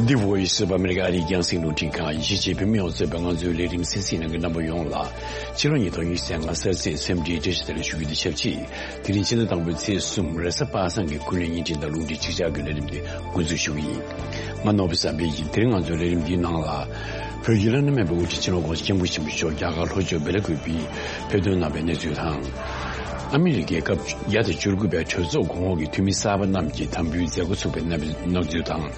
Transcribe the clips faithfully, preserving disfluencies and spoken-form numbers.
The Voice of America ཨ་རིའི་རྒྱང་སྲིང་རླུང་འཕྲིན་ཁང་། ཡིན་གཅིག་བོད་མི་ཡོངས་གཙོས་པའི་ང་ཚོའི་ལས་རིམ་གསན་གཟིགས་གནང་མཁན་རྣམ་པ་ཡོངས་ལ་ཕྱི་ལོ་ཉིས་སྟོང་ཉི་ཤུ་རྩ་ལྔ་གཟའ་རྩིས་སེམས་སྒྲིལ་བཀྲ་ཤིས་བདེ་ལེགས་ཞུ་རྒྱུ་དང་ཆབས་ཅིག་དེ་རིང་ཕྱི་ཟླ་དང་པོའི་ཚེས་གསུམ་རེས་གཟའ་པ་སངས་ཀྱི་ཀུན་གླེང་བརྙན་འཕྲིན་དང་རླུང་འཕྲིན་ཆིག་ཆར་གྱི་ལས་རིམ་འདི་འགོ་འཛུགས་ཞུ་གི་ཡིན། ང་ནོར་བུ་བསམ་འཕེལ་ཡིན། དེ་རིང་ང་ཚོའི་ལས་རིམ་འདིའི་ནང་ལ། བོད་ཀྱི་བླ་ན་མེད་པའི་དབུ་ཁྲིད་སྤྱི་ནོར་༧གོང་ས་༧སྐྱབས་མགོན་ཆེན་པོ་མཆོག་རྒྱ་གར་ལྷོ་ཕྱོགས་སྦེལ་ཀོབ་ཏུ་ཕེབས་ཐོན་གནང་བའི་གནས་ཚུལ་དང་། ཨ་མི་རི་ཀའི་སྐབས་བརྒྱ་དང་བཅུ་དགུ་པའི་གྲོས་ཚོགས་གོང་འོག་གི་འཐུས་མི་གསར་པ་རྣམས་ཀྱི་དམ་འབུལ་མཛད་སྒོ་ཚུགས་པའི་གནས་ཚུལ་དང་།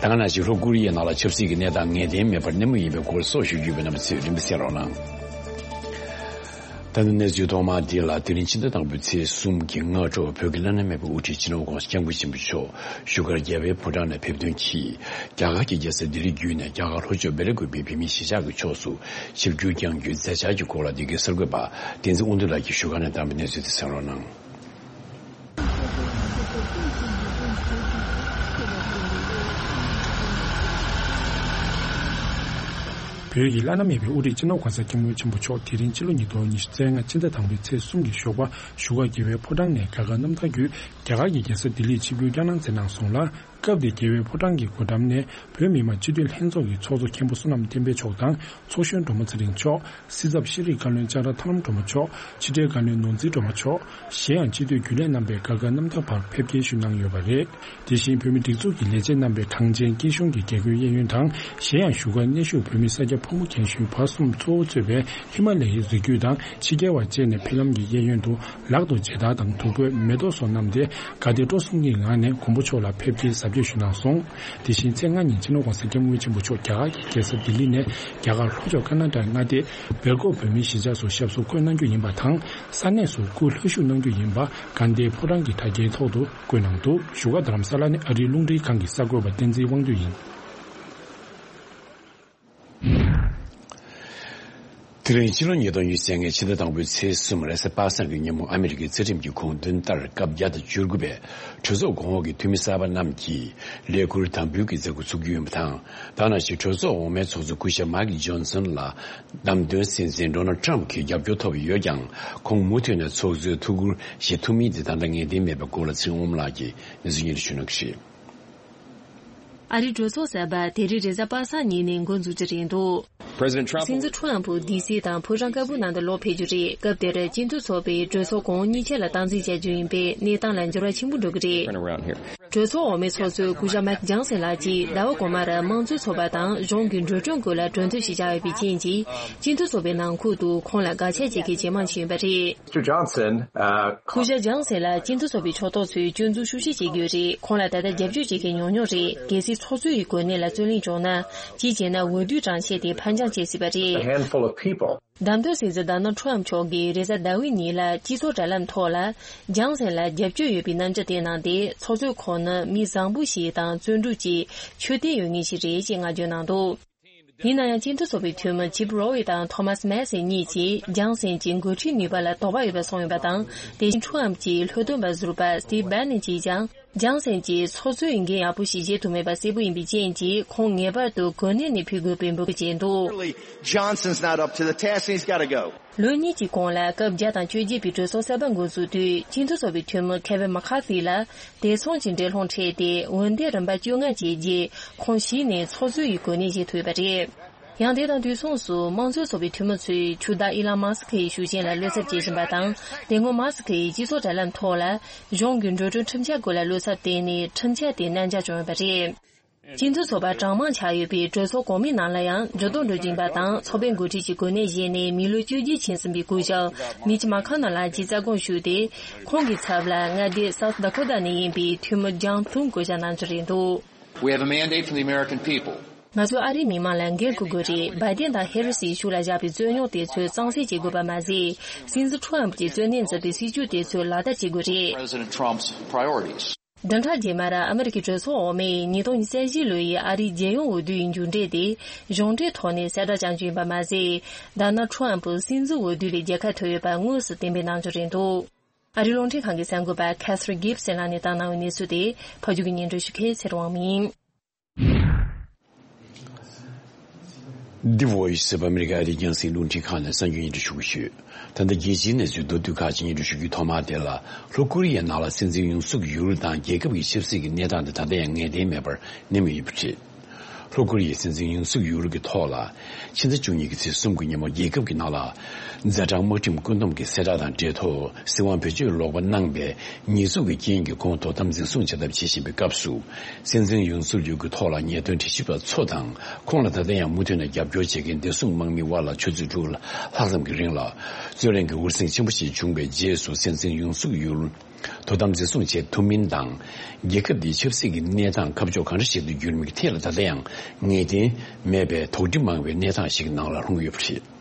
ད་ག་ནང་བཞིན་ལྷོ་ཀོ་རི་ཡའི་ནང་ལ་ཆབ་སྲིད་ཀྱི་གནས་སྟངས་ངེས་གཏན་མེད་པར་གནས་མུས་ཡིན་པའི་སྐོར་སོགས་ཞུ་རྒྱུ་ཡོད་པས་རྣམ་པ་ཚོས་རིམ་པས་གསན་རོགས་གནང་། ད་ནི་གནས་ཚུལ་ཐོག་མ་འདི་ལ། དེ་རིང་ཕྱི་ཟླ་དང་པོའི་ཚེས་གསུམ་གྱི་སྔ་དྲོ་བོད་ཀྱི་བླ་ན་མེད་པའི་དབུ་ཁྲིད་སྤྱི་ནོར་༧གོང་ས་༧སྐྱབས་མགོན་ཆེན་པོ་མཆོག་བཞུགས་སྒར་རྒྱལ་བའི་ཕོ་བྲང་ནས་ཕེབས་ཐོན་གྱིས། རྒྱ་གར་གྱི་རྒྱལ་ས་ལྡི་ལི་བརྒྱུད་ནས་རྒྱ་གར་ལྷོ་ཕྱོགས་སྦེལ་ཀོབ་པའི་བོད་མིའི་གཞིས་ཆགས་ཀྱི་ཕྱོགས་སུ་ཆིབས་བསྒྱུར་བསྐྱང་རྒྱུའི་མཛད་འཆར་གྱི་སྐོར་ལ། འདི་གའི་གསར་འགོད་པ་བསྟན་འཛིན་དབང་འདུས་ལགས་ཀྱིས་བཞུགས་སྒར་ནས་བཏང་བའི་གནས་ཚུལ་དེ་གསན་རོགས་གནང་། བོད་ཀྱི་བླ་ན་མེད་པའི་དབུ་ཁྲིད་སྤྱི་ནོར་༧གོང་ས་༧སྐྱབས་མགོན་ཆེན་པོ་མཆོག་དེ་རིང་ཕྱི་ལོ་ཉིས་སྟོང་ཉི་ཤུ་རྩ་ལྔ་ཕྱི་ཟླ་དང་པོའི་ཚེས་གསུམ་གྱི་ཞོགས་པ་བཞུགས་སྒར་རྒྱལ་བའི་ཕོ་བྲང་ནས་རྒྱ་གར་གནམ་ཐང་བརྒྱུད་རྒྱ་གར་གྱི་རྒྱལ་ས་ལྡི་ལིར་ཆིབས་བསྒྱུར་བསྐྱངས་གནང་མཛད་གནང་སོང་ལ། སྐབས་དེར་རྒྱལ་བའི་ཕོ་བྲང་གི་སྒོ་འགྲམ་ནས་བོད་མི་མང་སྤྱི་འཐུས་ལྷན་ཚོགས་ཀྱི་ཚོགས་གཙོ་མཁན་པོ་བསོད་ནམས་བསྟན་འཕེལ་མཆོག་དང་། ཚོགས་གཞོན་སྒྲོལ་མ་ཚེ་རིང་མཆོག་སྲིད་ཚབ་ཤེས་རིག་བཀའ་བློན་ལྕགས་ར་ཐར་ལམ་སྒྲོལ་མ་མཆོག་ཕྱི་དྲིལ་བཀའ་བློན་ནོར་འཛིན་སྒྲོལ་མ་མཆོག་གཞན་ཡང་སྤྱི་འཐུས་རྒྱུན་ལས་རྣམ་པས་རྒྱ་གར་གནམ་ཐང་བར་ཕེབས་སྐྱེལ་ཞུས་གནང་ཡོད་པ་རེད། དེ་བཞིན་བོད་མིའི་སྒྲིག་འཛུགས་ཀྱི་ལས་བྱེད་རྣམ་པས་གངས་ཅན་སྐྱིད་གཤོངས་ཀྱི་རྒྱལ་སྒོའི་གཡས་གཡོན་དང་། གཞན་ཡང་བཞུགས་སྒར་གནས་བཞུགས་བོད་མི་ས་སྐྱ་ཕོ་མོ་རྒན་གཞོན་བར་གསུམ་གཙོ་བོ་གཙོས་པའི་ཧི་མ་ལ་ཡའི་རི་རྒྱུད་དང་ཕྱི་རྒྱལ་བ་བཅས་ནས་ཕེབས་ལམ་གྱི་གཡས་གཡོན་དུ་ལག་ཏུ་མཇལ་དར་དང་བདུག་སྤོས་མེ་ཏོག་སོགས་བསྣམས་ཏེ་དགའ་དད་སྤྲོ་གསུམ་གྱི་ངང་ནས་མགོན་པོ་མཆོག་ལ་ཕེབས་སྐྱེལ་གཟབ་རྒྱས་ཞུས་གནང་སོང་། དེ་བཞིན་ཚེས་ལྔ་ཉིན་སྤྱི་ནོར་༧གོང་ས་༧སྐྱབས་མགོན་ཆེན་པོ་མཆོག་རྒྱ་གར་གྱི་རྒྱལ་ས་ལྡི་ལི་ནས་རྒྱ་གར་ལྷོ་ཕྱོགས་ཀར་ན་ཊ་ཀ་མངའ་སྡེ་སྦེལ་ཀོབ་བོད་མིའི་གཞིས་ཆགས་སུ་ཞབས་སོར་བཀོད་གནང་རྒྱུ་ཡིན་པ་དང་། ས་གནས་སུ་སྐུ་ལྷོད་བཞུགས་གནང་རྒྱུ་ཡིན་པ་དགའ་ལྡན་ཕོ་བྲང་གི་དྲ་རྒྱའི་ཐོག་ཏུ་བཀོད་གནང་འདུག་བཞུགས་སྒར་རྡ་རམ་ས་ལ་ནས་ཨ་རིའི་རླུང་འཕྲིན་ཁང་གི་གསར་འགོད་པ་བསྟན་འཛིན་དབང་འདུས་ཡིན། དེ་རིང་ཕྱི་ལོ་ཉིས་སྟོང་ཉི་ཤུ་རྩ་ལྔའི་ཕྱི་ཟླ་དང་པོའི་ཚེས་གསུམ་རེས་གཟའ་པ་སངས་ཀྱི་ཉིན་མོ། ཨ་མི་རི་ཀའི་རྩ་ཁྲིམས་ཀྱི་དགོངས་དོན་ལྟར། སྐབས་བརྒྱ་དང་བཅུ་དགུ་པའི་གྲོས་ཚོགས་གོང་འོག་གི་འཐུས་མི་གསར་པ་རྣམས་ཀྱིས་ལས་ཁུར་དམ་འབུལ་གྱི་མཛད་སྒོ་ཚུགས་རྒྱུ་ཡིན་པ་དང་། ད་ནང་བཞིན་གྲོས་ཚོགས་འོག་མའི་ཚོགས་གཙོ་སྐུ་ཞབས་མཱིག་ཇོན་སན་ལ་བདམས་ཐོན་སྲིད་འཛིན་ཌོ་ནལ་ཊམ་གྱི་རྒྱབ་སྐྱོར་ཐོབ་ཡོད་ཀྱང་། ཁོང་མུ་མཐུད་ནས་ཚོགས་གཙོའི་ཐུགས་ཁུར་བཞེས་ཐུབ་མིན་དེ་ད་ལྟ་ངེས་གཏན་མེད་པའི་སྐོར་ལ་ཚེ་རིང་དབང་མོ་ལགས་ཀྱིས་གནས་ཚུལ་སྙན་སྒྲོན་ཞུ་གནང་གི་རེད། ཨ་རིའི་གྲོས་ཚོགས་གསར་པ་དེ་རིང་རེས་གཟའ་པ་སངས་ཉིན་ནས་འགོ་འཛུགས་རྒྱུ་རེད་འདུག President Trump སྲིད་འཛིན་ཁྲོམ་ཕུ་ཌི་སི་དང་ཕོ་བྲང་དཀར་པོའི་ནང་དུ་ལོག་ཕེབས་རྒྱུ་རེད། སྐབས་དེར་སྤྱི་འཐུས་ཚོགས་པས་གྲོས་ཚོགས་གོང་གཉིས་ཆ་ལ་སྟངས་འཛིན་བྱ་རྒྱུ་ཡིན་པས་གནས་སྟངས་ལ་འགྱུར་བ་ཆེན་པོ་འགྲོ་གི་རེད། Turn around here. གྲོས་ཚོགས་འོག་མའི་ཚོགས་གཙོས་སྐུ་ཞབས་མཱིག་ཇོན་སན་ལགས་ཀྱིས་ཟླ་བ་གོང་མར་དམངས་གཙོའི་ཚོགས་པ་དང་གཞུང་གི་འགྲོ་གྲོན་སྐོར་ལ་གྲོས་མཐུན་ཞིག་བཞག་ཡོད་པའི་རྐྱེན་གྱིས་སྤྱི་འཐུས་ཚོགས་པའི་ནང་ཁུལ་དུ་ཁོང་ལ་དགའ་ཆད་བྱེད་མཁན་ཇེ་མང་ཕྱིན་ཡོད་པ་རེད། Mr. Johnson, uh, སྐུ་ཞབས་ཇོན་སན་ལ་སྤྱི་འཐུས་ཚོགས་པའི་ཕྱོགས་གཏོགས་ཚོས་སྐྱོན་འཛུགས་ཤུགས་ཆེ་བྱེད་ཀྱི་ཡོད་རེད། ཁོང་ལ་ད་ལྟ་རྒྱབ་སྐྱོར་བྱེད་མཁན་ཉུང་ཉུང་རེད། གལ་སྲིད་ཚོགས་གཙོ་ཡི་གོ་གནས་ལ་རྩོད་གླེང་བྱུང་ན། གཅིག་བྱས་ན་འོས་བསྡུའི་གྲངས་ཆད་དེ་ཕར་འགྱངས་བྱེད་སྲིད་པ་རེད། A handful of people. བདམས་ཐོན་སྲིད་འཛིན་ཌོ་ནལ་ཊམ་མཆོག་གིས་རེས་གཟའ་ཟླ་བའི་ཉིན་ལ་སྤྱི་ཚོགས་དྲ་ལམ་ཐོག་ལ་ཇོན་སན་ལ་རྒྱབ་སྐྱོར་ཡོད་པའི་རྣམ་འགྱུར་བསྟན་གནང་སྟེ། ཚོགས་གཙོས་ཁོང་ནི་མི་བཟང་པོ་ཞིག་དང་བརྩོན་འགྲུས་ཀྱི་ཆོས་དད་ཡོད་མཁན་ཞིག་རེད་ཅེས་བསྔགས་བརྗོད་གནང་འདུག་ཡིན་ན་ཡང་། སྤྱི་འཐུས་ཚོགས་པའི་འཐུས་མི་ཆིབ་རོ་ཝི་དང་ཐོ་མཱས་མེ་སན་གཉིས་ཀྱིས་ཇོན་སན་གྱི་འགོ་ཁྲིད་ནུས་པ་ལ་དོགས་པ་ཡོད་པ་གསུངས་ཡོད་པ་དང་། དེ་བཞིན་ཁྲོམ་གྱི་ལྷོད་སྟོན་པ་ཟུར་པ་སི་ཊིབ་བྷེ་ནན་གྱིས་ཀྱང་ཇོན་སན་གྱིས་ཚོགས་གཙོའི་འགན་ཡག་པོ་ཞིག་བཞེས་ཐུབ་མེད་པ་གསལ་པོ་ཡིན་པའི་རྐྱེན་གྱིས། ཁོང་ངེས་པར་དུ་གོ་གནས་ནས་ཕུད་དགོས་པའི་འབོད་སྐུལ་བྱས་འདུག Clearly, Johnson's not up to the task and he's got to go. ལོ་གཉིས་ཀྱི་གོང་ལ་སྐབས་བརྒྱ་དང་བཅོ་བརྒྱད་པའི་གྲོས་ཚོགས་གསར་པ་འགོ་འཛུགས་དུས། སྤྱི་འཐུས་ཚོགས་པའི་འཐུས་མི་ཁེ་ཝིན་མ་ཁ་ཐི་ལ་བདེ་སྲུང་གི་འགྲན་སློང་འཕྲད་དེ། འོན་ཏེ་རིམ་པ་བཅོ་ལྔ་བཅས་རྗེས་ཁོང་གཞི་ནས་ཚོགས་གཙོའི་གོ་གནས་བཞེས་ཐུབ་ཡོད་པ་རེད། ཡང་དེ་དང་དུས་མཚུངས་སུ། དམངས་གཙོའི་ཚོགས་པའི་འཐུས་མི་ཚོས་ཕྱུག་བདག་ཨི་ལོན་མཱ་སི་ཁི་ཡི་ཤུགས་རྐྱེན་ལ་བློ་འཚབ་བྱེད་བཞིན་པ་དང་། དེ་སྔོན་མཱ་སི་ཁི་ཡིས་སྤྱི་ཚོགས་དྲ་ལམ་ཐོག་ལ་གཞུང་གི་འགྲོ་གྲོན་ཁྲིམས་འཆར་སྐོར་ལ་བློ་འཚབ་བཏོན་ནས། ཁྲིམས་འཆར་དེ་གནད་འགག་བྱུང་ཡོད་པ་རེད། སྤྱི་འཐུས་ཚོགས་པ་གྲངས་མང་ཆགས་ཡོད་པའི་གྲོས་ཚོགས་གོང་མའི་ནང་ལ་ཡང་འགྱུར་ལྡོག་འགྲོ་བཞིན་པ་དང་། ཚོགས་པའི་འགོ་ཁྲིད་ཀྱི་གོ་གནས་བཞེས་ནས་མི་ལོ་བཅོ་བརྒྱད་ཕྱིན་ཟིན་པའི་སྐུ་ཞབས་མིཆ་མ་ཁ་ནར་ལགས་ཀྱིས་རྩ་དགོངས་ཞུས་ཏེ། ཁོང་གི་ཚབ་ལ་མངའ་སྡེ་སའུ་ཐི་ཌ་ཀོ་ཊ་ནས་ཡིན་པའི་འཐུས་མི་ལྗང་ཐུང་བསྐོ་བཞག་གནང་རྒྱུ་རེད་འདུག We have a mandate from the American people. ང་ཚོས་ཨ་རིའི་མི་མང་ལ་འགན་འཁུར་དགོས་རེད། བྷའི་ཏན་དང་ཧེ་རི་སིའི་ཤུགས་ལ་བཞག་པའི་རྩོད་རྙོག་དེ་ཚོ་གཙང་སེལ་བྱེད་དགོས་པ་མ་ཟད། སྲིད་འཛིན་ཁྲོམ་གྱིས་གཙོ་གནད་མཛད་པའི་སྲིད་ཇུས་དེ་ཚོ་ལག་བསྟར་བྱེད་དགོས་རེད། President Trump's priorities. བདུན་ཕྲག་རྗེས་མར་ཨ་མི་རི་ཀའི་གྲོས་ཚོགས་འོག་མས་ཉིས་སྟོང་ཉི་ཤུ་རྩ་བཞི་ལོའི་ཨ་རིའི་རྒྱལ་ཡོངས་འོས་བསྡུའི་མཇུག་འབྲས་དེ་གཞུང་འབྲེལ་ཐོག་ནས་གསལ་བསྒྲགས་བྱ་རྒྱུ་ཡིན་པ་མ་ཟད། ཌོ་ནལ་ཁྲོམ་སྲིད་འཛིན་འོས་བསྡུ་ལས་རྒྱལ་ཁ་ཐོབ་ཡོད་པ་དངོས་སུ་གཏན་འབེབས་གནང་རྒྱུ་རེད་འདུག་ཨ་རིའི་རླུང་འཕྲིན་ཁང་གི་གསར་འགོད་པ་ཁེ་ཐི་རིན་གྷིབ་སན་ལགས་ནས་བཏང་གནང་བའི་གནས་ཚུལ་དེ་ཕབ་སྒྱུར་གྱིས་སྙན་སྒྲོན་ཞུ་མཁན་ཚེ་རིང་དབང་མོ་ཡིན། The Voice of America ཨ་རིའི་རྒྱང་སྲིང་རླུང་འཕྲིན་ཁང་ནས་གསར་འགྱུར་སྙན་སྒྲོན་ཞུ་གི་ཡོད། ད་ལྟ་རྒྱལ་སྤྱིའི་གནས་ཚུལ་མདོར་བསྡུས་ཁག་ཅིག་སྙན་སྒྲོན་ཞུ་རྒྱུའི་ཐོག་མ་དེ་ལ། ལྷོ་ཀོ་རི་ཡའི་ནང་ལ་སྲིད་འཛིན་ཡུན་སུག་ཡུལ་དང་རྒྱལ་ཁབ་ཀྱི་ཆབ་སྲིད་ཀྱི་གནས་སྟངས་དེ་ད་ལྟ་ཡང་ངེས་གཏན་མེད་པར་གནས་མུས་ཡོད་པ་རེད། ལྷོ་ཀོ་རི་ཡའི་སྲིད་འཛིན་ཡུན་སུག་ཡུལ་གྱི་ཐོག་ལ་ཕྱི་ཟླ་བཅུ་གཉིས་ཀྱི་ཚེས་གསུམ་གྱི་ཉིན་མོ་རྒྱལ་ཁབ་ཀྱི་ནང་ལ་ཛ་དྲག་དམག་ཁྲིམས་བཀོད་འདོམས་ཀྱི་གསལ་བསྒྲགས་དང་འབྲེལ་ཐོག་སྲིད་དབང་བེད་སྤྱོད་ལོག་པ་གནང་པའི་ཉེས་འཛུགས་ཀྱི་རྐྱེན་གྱིས་ཁོང་དོ་དམ་འཛིན་བཟུང་བྱ་ཐབས་བྱེད་བཞིན་པའི་སྐབས་སུ། སྲིད་འཛིན་ཡུན་སུག་ཡུལ་གྱི་ཐོག་ལ་ཉེས་དོན་དྲི་ཞིབ་པ་ཚོ་དང་ཁོང་ལ་ད་ལྟ་ཡང་མུ་མཐུད་ནས་རྒྱབ་སྐྱོར་བྱེད་མཁན་བདེ་སྲུང་དམག་མིའི་དབར་ལ་ཆུ་ཚོད་དྲུག་ལྷག་ཙམ་གྱི་རིང་ལ་རྩོད་གླེང་གི་འུར་ཟིང་ཆེན་པོ་ཞིག་བྱུང་བའི་རྗེས་སུ། སྲིད་འཛིན་ཡུན་སུག་ཡུལ་དོ་དམ་འཛིན་བཟུང་བྱེད་ཐུབ་མིན་དང་། རྒྱལ་ཁབ་འདིའི་ཆབ་སྲིད་ཀྱི་གནས་སྟངས་ཁ་ཕྱོགས་གང་འདྲ་ཞིག་ཏུ་འགྱུར་མིན་གྱི་ཐད་ལ་ད་ལྟ་ཡང་ངེས་གཏན་མེད་པའི་དོགས་འདྲི་མང་བའི་གནས་སྟངས་ཤིག་ནང་ལ་ལྷུང་ཡོད་པ་རེད།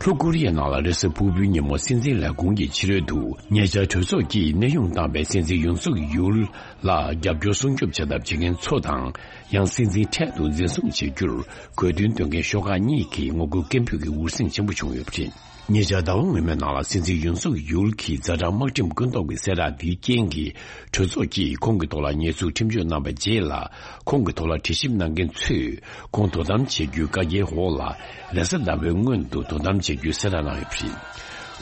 ལྷོ་ཀོ་རི་ཡའི་ནང་ལ་རེས་གཟའ་ཕུར་བུའི་ཉིན་མོ་སྲིད་འཛིན་ལས་ཁུངས་ཀྱི་ཕྱི་རོལ་དུ་ཉེ་ཆར་གྲོས་ཚོགས་ཀྱིས་གནས་དབྱུང་བཏང་བའི་སྲིད་འཛིན་ཡུན་སུག་ཡུལ་ལ་རྒྱབ་སྐྱོར་སྲུང་སྐྱོབ་བྱ་ཐབས་བྱེད་མཁན་ཚོ་དང་། ཡང་སྲིད་འཛིན་འཕྲལ་དུ་འཛིན་བཟུང་བྱེད་རྒྱུར་དགོས་འདུན་འདོན་མཁན་ཤོག་ཁག་གཉིས་ཀྱིས་ངོ་རྒོལ་སྐད་འབོད་ཀྱི་འུར་ཟིང་ཆེན་པོ་བྱུང་ཡོད་པ་རེད། ཉེ་ཆར་ཟླ་བ་སྔོན་མའི་ནང་ལ་སྲིད་འཛིན་ཡུན་སུག་ཡུལ་གྱིས་ཛ་དྲག་དམག་ཁྲིམས་བཀོད་འདོམས་ཀྱི་གསལ་བསྒྲགས་འདིའི་རྐྱེན་གྱིས་གྲོས་ཚོགས་ཀྱིས་ཁོང་གི་ཐོག་ལ་ཉེས་འཛུགས་ཁྲིམས་གཅོད་གནང་བའི་རྗེས་ལ། ཁོང་གི་ཐོག་ལ་དྲི་ཞིབ་གནང་མཁན་ཚོས་ཁོང་དོ་དམ་བྱེད་རྒྱུའི་བཀའ་རྒྱའི་འོག་ལ་རེས་གཟའ་ཟླ་བའི་སྔོན་དུ་དོ་དམ་བྱེད་རྒྱུའི་གསལ་བསྒྲགས་གནང་ཡོད་པ་རེད།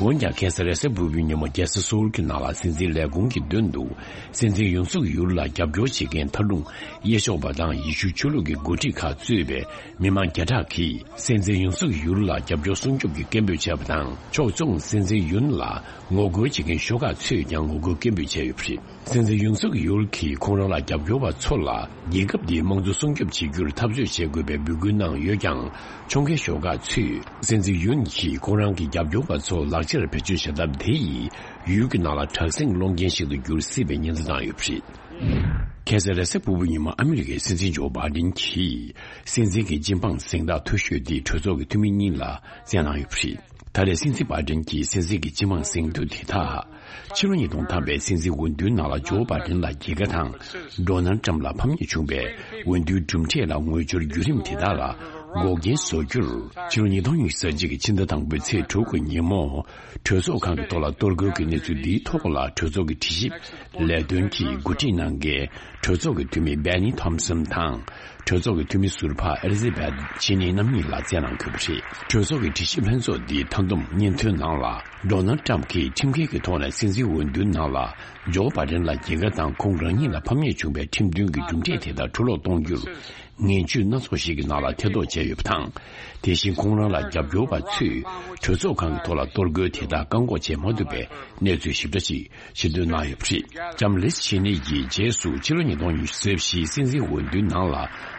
འོན་ཀྱང་ཁ་སང་རེས་གཟའ་ཕུར་བུའི་ཉིན་མོ་རྒྱལ་ས་སོའུལ་གྱི་ནང་ལ་སྲིད་འཛིན་ལས་ཁུངས་ཀྱི་མདུན་དུ་སྲིད་འཛིན་ཡུན་སུག་ཡུལ་ལ་རྒྱབ་སྐྱོར་བྱེད་མཁན་མཐར་ལྷུང་དབྱེ་ཞོགས་པ་དང་ཡེ་ཤུ་ཆོས་ལུགས་ཀྱི་འགོ་ཁྲིད་ཁག་གཙོས་པའི་མི་མང་བརྒྱ་ཕྲག་གིས་སྲིད་འཛིན་ཡུན་སུག་ཡུལ་ལ་རྒྱབ་སྐྱོར་སྲུང་སྐྱོབ་ཀྱི་སྐད་འབོད་བྱས་པ་དང་། ཕྱོགས་མཚུངས་སྲིད་འཛིན་ཡུན་ལ་ངོ་རྒོལ་བྱེད་མཁན་ཤོག་ཁག་ཚོས་ཀྱང་ངོ་རྒོལ་སྐད་འབོད་བྱས་ཡོད་པ་རེད། སྲིད་འཛིན་ཡུན་སུག་ཡུལ་གྱིས་ཁོང་རང་ལ་རྒྱབ་སྐྱོར་བ་ཚོ་ལ་རྒྱལ་ཁབ་འདིའི་དམངས་གཙོ་སྲུང་སྐྱོབ་བྱེད་རྒྱུར་འཐབ་རྩོད་བྱེད་དགོས་པའི་འབོད་སྐུལ་གནང་ཡོད་ཀྱང་། ཕྱོགས་འགལ་ཤོག་ཁག་ཚོས་སྲིད་འཛིན་ཡུན་གྱིས་ཁོང་རང་གི་རྒྱབ་སྐྱོར་བ་ཚོ་ལག་ཆར་བེད་སྤྱོད་བྱ་ཐབས་དེ་ཡིས་ཡུལ་གྱི་ནང་ལ་དྲག་ཟིང་སློང་རྐྱེན་ཞིག་ཏུ་འགྱུར་སྲིད་པའི་ཉེན་བརྡ་བཏང་ཡོད་པ་རེད། ཁ་སང་རེས་གཟའ་ཕུར་བུའི་ཉིན་མོ་ཨ་མི་རི་ཀའི་སྲིད་འཛིན་ཇོ་བྷའི་ཌེན་གྱིས་སྲིད་འཛིན་གྱི་སྤྱི་འབངས་གཟེངས་རྟགས་མཐོ་ཤོས་དེ་གྲོས་ཚོགས་ཀྱི་འཐུས་མི་གཉིས་ལ་བསྩལ་གནང་ཡོད་པ་རེད། ད་རེས་སྲིད་འཛིན་བྷའི་ཌེན་གྱིས་སྲིད་འཛིན་གྱི་སྤྱི་འབངས་གཟེངས་བསྟོད་དེ་དག་ཕྱི་ལོ་ཉིས་སྟོང་ཐམ་པའི་སྲིད་འཛིན་འོས་བསྡུའི་ནང་ལ་ཇོ་བྷའི་ཌེན་ལ་རྒྱལ་ཁ་དང་། ཌོ་ནལ་ཊམ་ལ་ཕམ་ཉེས་བྱུང་བའི་འོས་བསྡུའི་གྲུབ་འབྲས་ལ་ངོས་སྦྱོར་བརྒྱུད་རིམ་དེ་དག་ལ་འགོག་རྐྱེན་བཟོ་རྒྱུར། ཕྱི་ལོ་ཉིས་སྟོང་ཉི་ཤུ་རྩ་གཅིག་གི་ཕྱི་ཟླ་དང་པོའི་ཚེས་དྲུག་གི་ཉིན་མོ། གྲོས་ཚོགས་ཁང་གི་ཐོག་ལ་གཏོར་རྒོལ་གྱི་གནས་ཚུལ་འདིའི་ཐོག་ལ་གྲོས་ཚོགས་ཀྱི་དྲི་ཞིབ་ལས་དོན་གྱི་འགོ་ཁྲིད་གནང་མཁན་གྲོས་ཚོགས་ཀྱི་འཐུས་མི་སྦེ་ནི་ཐོམ་སོན་དང་། གྲོས་ཚོགས་ཀྱི་འཐུས་མི་ཟུར་པ་ཨེ་ལི་ཛ་བྷེཐ་ཆེ་ནི་རྣམ་གཉིས་ལ་བསྩལ་གནང་དགོས་པ་རེད། གྲོས་ཚོགས་ཀྱི་དྲི་ཞིབ་ལྷན་ཚོགས་འདིའི་མཐའ་བསྡོམས་སྙན་ཐོའི་ནང་ལ། ཌོ་ནལ་ཊམ་གྱིས་ཁྲིམས་འགལ་གྱི་ཐོག་ནས་སྲིད་འཛིན་འོས་བསྡུའི་ནང་ལ་ཇོ་བྷའི་ཌེན་ལ་རྒྱལ་ཁ་དང་ཁོང་རང་ཉིད་ལ་ཕམ་ཉེས་བྱུང་བའི་ཁྲིམས་མཐུན་གྱི་གྲུབ་འབྲས་དེ་དག་འཕྲོ་བརླག་གཏོང་རྒྱུར། ངན་ཇུས་སྣ་ཚོགས་ཤིག་གི་ནང་ལ་ཐེ་གཏོགས་བྱས་ཡོད་པ་དང་། དེ་བཞིན་ཁོང་རང་ལ་རྒྱབ་སྐྱོར་བ་ཚོས་གྲོས་ཚོགས་ཁང་གི་ཐོག་ལ་གཏོར་རྒོལ་དེ་དག་བཀག་འགོག་བྱེད་མ་ཐུབ་པའི་གནས་ཚུལ་ཞིབ་ཕྲ་ཞིག་ཕྱིར་འདོན་གནང་ཡོད་པ་རེད། ལྕམ་ལིས་ཆེ་ནི་ཡིས་རྗེས་སུ་ཕྱི་ལོ་ཉིས་སྟོང་ཉི་ཤུ་རྩ་བཞིའི་སྲིད་འཛིན་འོས་བསྡུའི་ནང་ལ་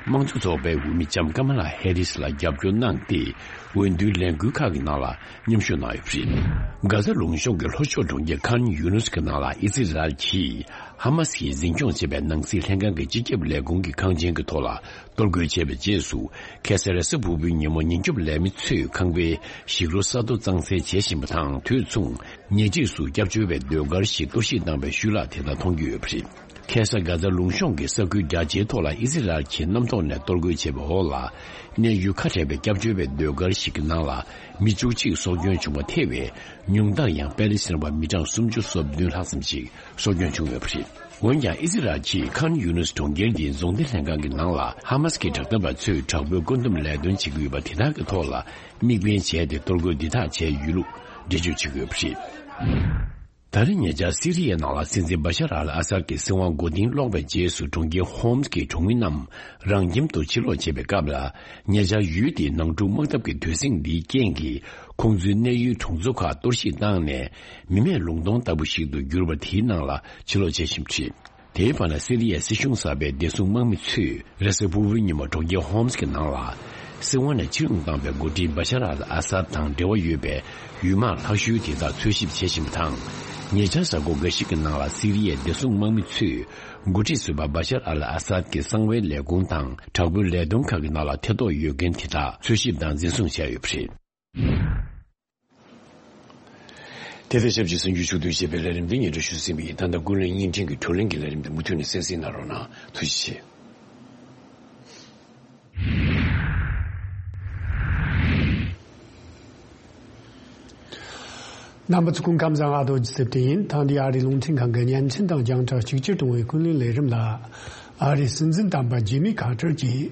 དམངས་གཙོ་ཚོགས་པའི་འོས་མི་ལྕམ་ཀ་མ་ལ་ཧེ་རིས་ལ་རྒྱབ་སྐྱོར་གནང་སྟེ། འོས་བསྡུའི་ལས་འགུལ་ཁག་གི་ནང་ལ་མཉམ་ཞུགས་གནང་ཡོད་པ་རེད། གྷ་ཟ་ལུང་གཤོང་གི་ལྷོ་ཕྱོགས་གྲོང་ཁྱེར་ཁཱན་ཡུ་ནུས་ཀྱི་ནང་ལ་ཨི་ཟི་རལ་གྱིས་ཧ་མ་སི་ཡིས་འཛིན་སྐྱོང་བྱེད་པའི་ནང་སྲིད་ལྷན་ཁང་གི་སྤྱི་ཁྱབ་ལས་ཁུངས་ཀྱི་ཁང་ཆེན་གྱི་ཐོག་ལ་གཏོར་རྒོལ་བྱས་པའི་རྗེས་སུ། ཁ་སང་རེས་གཟའ་ཕུར་བུའི་ཉིན་མོ་ཉེན་སྐྱོབ་ལས་མི་ཚོས་ཁང་པའི་ཞིག་རོ་ས་རྡོ་གཙང་སེལ་བྱེད་བཞིན་པ་དང་། དུས་མཚུངས་ཉེ་འཁྲིས་སུ་སྐྱབས་བཅོལ་བའི་ཟློས་གར་ཞིག་གཏོར་བཤིག་བཏང་བའི་ཤུལ་ལ་དེ་དག་མཐོང་རྒྱུ་ཡོད་པ་རེད། ཁ་སང་གྷ་ཟ་ལུང་གཤོང་གི་ས་ཁུལ་རྒྱ་ཆེའི་ཐོག་ལ་ཨི་སི་རལ་གྱིས་གནམ་ཐོག་ནས་གཏོར་རྒོལ་བྱས་པའི་འོག་ལ། གནས་ཡུལ་ཁ་བྲལ་བའི་སྐྱབས་བཅོལ་བའི་ཟློས་གར་ཞིག་གི་ནང་ལ་མི་བཅུ་གཅིག་སྲོག་སྐྱོན་བྱུང་བ་ཐེ་བའི་ཉུང་མཐར་ཡང་པེ་ལི་སི་ཐན་པ་མི་གྲངས་སུམ་ཅུ་སོ་བདུན་ལྷག་ཙམ་ཞིག་སྲོག་སྐྱོན་བྱུང་ཡོད་པ་རེད། འོན་ཀྱང་ཨི་སི་རལ་གྱིས་ཁཱན་ཡུ་ནུས་གྲོང་ཁྱེར་གྱི་རྫོང་སྡེ་ལྷན་ཁང་གི་ནང་ལ་ཧ་མ་སི་ཀྱི་དྲག་འཐབ་པ་ཚོས་དྲག་པོའི་བཀོད་འདོམས་ལས་དོན་བྱེད་ཀྱི་ཡོད་པ་དེ་དག་གི་ཐོག་ལ་དམིགས་འབེན་བྱས་ཏེ་གཏོར་རྒོལ་འདི་དག་བྱས་ཡོད་ལུགས་འགྲེལ་བརྗོད་བྱེད་ཀྱི་ཡོད་པ་རེད། ད་རེས་ཉེ་ཆར་སི་རི་ཡའི་ནང་ལ་སྲིད་འཛིན་བ་ཤར་ཨལ་ཨ་སཱད་ཀྱི་སྲིད་དབང་མགོ་རྟིང་སློག་པའི་རྗེས་སུ་གྲོང་ཁྱེར་ཧོམ་སི་གི་གྲོང་མི་རྣམས་རང་ཁྱིམ་དུ་ཕྱིར་ལོག་བྱེད་པའི་སྐབས་ལ། ཉེ་ཆར་ཡུལ་དེའི་ནང་འཁྲུག་དམག་འཐབ་ཀྱི་དུས་ཟིང་འདིའི་རྐྱེན་གྱིས་ཁོང་ཚོའི་གནས་ཡུལ་གྲོང་ཚོ་ཁག་གཏོར་བཤིག་བཏང་ནས། མི་མེད་ལུང་སྟོང་ལྟ་བུ་ཞིག་ཏུ་གྱུར་པ་དེའི་ནང་ལ་ཕྱིར་ལོག་བྱེད་བཞིན་པ་རེད། དེའི་བར་ན་སི་རི་ཡའི་སྲིད་གཞུང་གསར་པའི་བདེ་སྲུང་དམག་མི་ཚོས་རེས་གཟའ་ཕུར་བུའི་ཉིན་མོ་གྲོང་ཁྱེར་ཧོམ་སི་གི་ནང་ལ། སྲིད་དབང་ནས་ཕྱིར་འོང་བཏང་བའི་འགོ་ཁྲིད་བ་ཤར་ཨལ་ཨ་སཱད་དང་འབྲེལ་བ་ཡོད་པའི་ཡུལ་དམག་ལྷག་ཤོས་དེ་དག་འཚོལ་ཞིབ་བྱེད་བཞིན་པ་དང་། ཉེ་ཆར་གཟའ་འཁོར་འགའ་ཞིག་གི་ནང་ལ་སི་རི་ཡའི་བདེ་སྲུང་དམག་མི་ཚོས་འགོ་ཁྲིད་ཟུར་པ་བ་ཤར་ཨལ་ཨ་སཱད་ཀྱི་གསང་བའི་ལས་ཁུངས་དང་དྲག་པོའི་ལས་དོན་ཁག་གི་ནང་ལ་ཐེ་གཏོགས་ཡོད་མཁན་དེ་དག་འཚོལ་ཞིབ་དང་འཛིན་བཟུང་བྱས་ཡོད་པ་རེད། དེ་དང་ཆབས་ཅིག་གསར་འགྱུར་ཕྱོགས་བསྡུས་བྱས་པའི་ལས་རིམ་འདི་སྙན་སྒྲོན་ཞུས་ཟིན་པ་ཡིན། ད་ལྟ་ཀུན་གླེང་བརྙན་འཕྲིན་གྱི་བགྲོ་གླེང་གི་ལས་རིམ་འདི་མུ་མཐུད་ནས་གསན་གཟིགས་གནང་རོགས་གནང་། ཐུགས་རྗེ་ཆེ། རྣམ་པ་ཚོ་སྐུ་ཁམས་བཟང་། ཨ་རྡོ་རྗེ་སེ་བརྟན་ཡིན། ཐེངས་འདིའི་ཨ་རིའི་རླུང་འཕྲིན་ཁང་གི་བརྙན་འཕྲིན་དང་རྒྱང་བསྒྲགས་གཅིག་གྱུར་གཏོང་བའི་ཀུན་གླེང་ལས་རིམ་ལ། ཨ་རིའི་སྲིད་འཛིན་དམ་པ་ཇི་མི་ཁ་ཏར་གྱིས་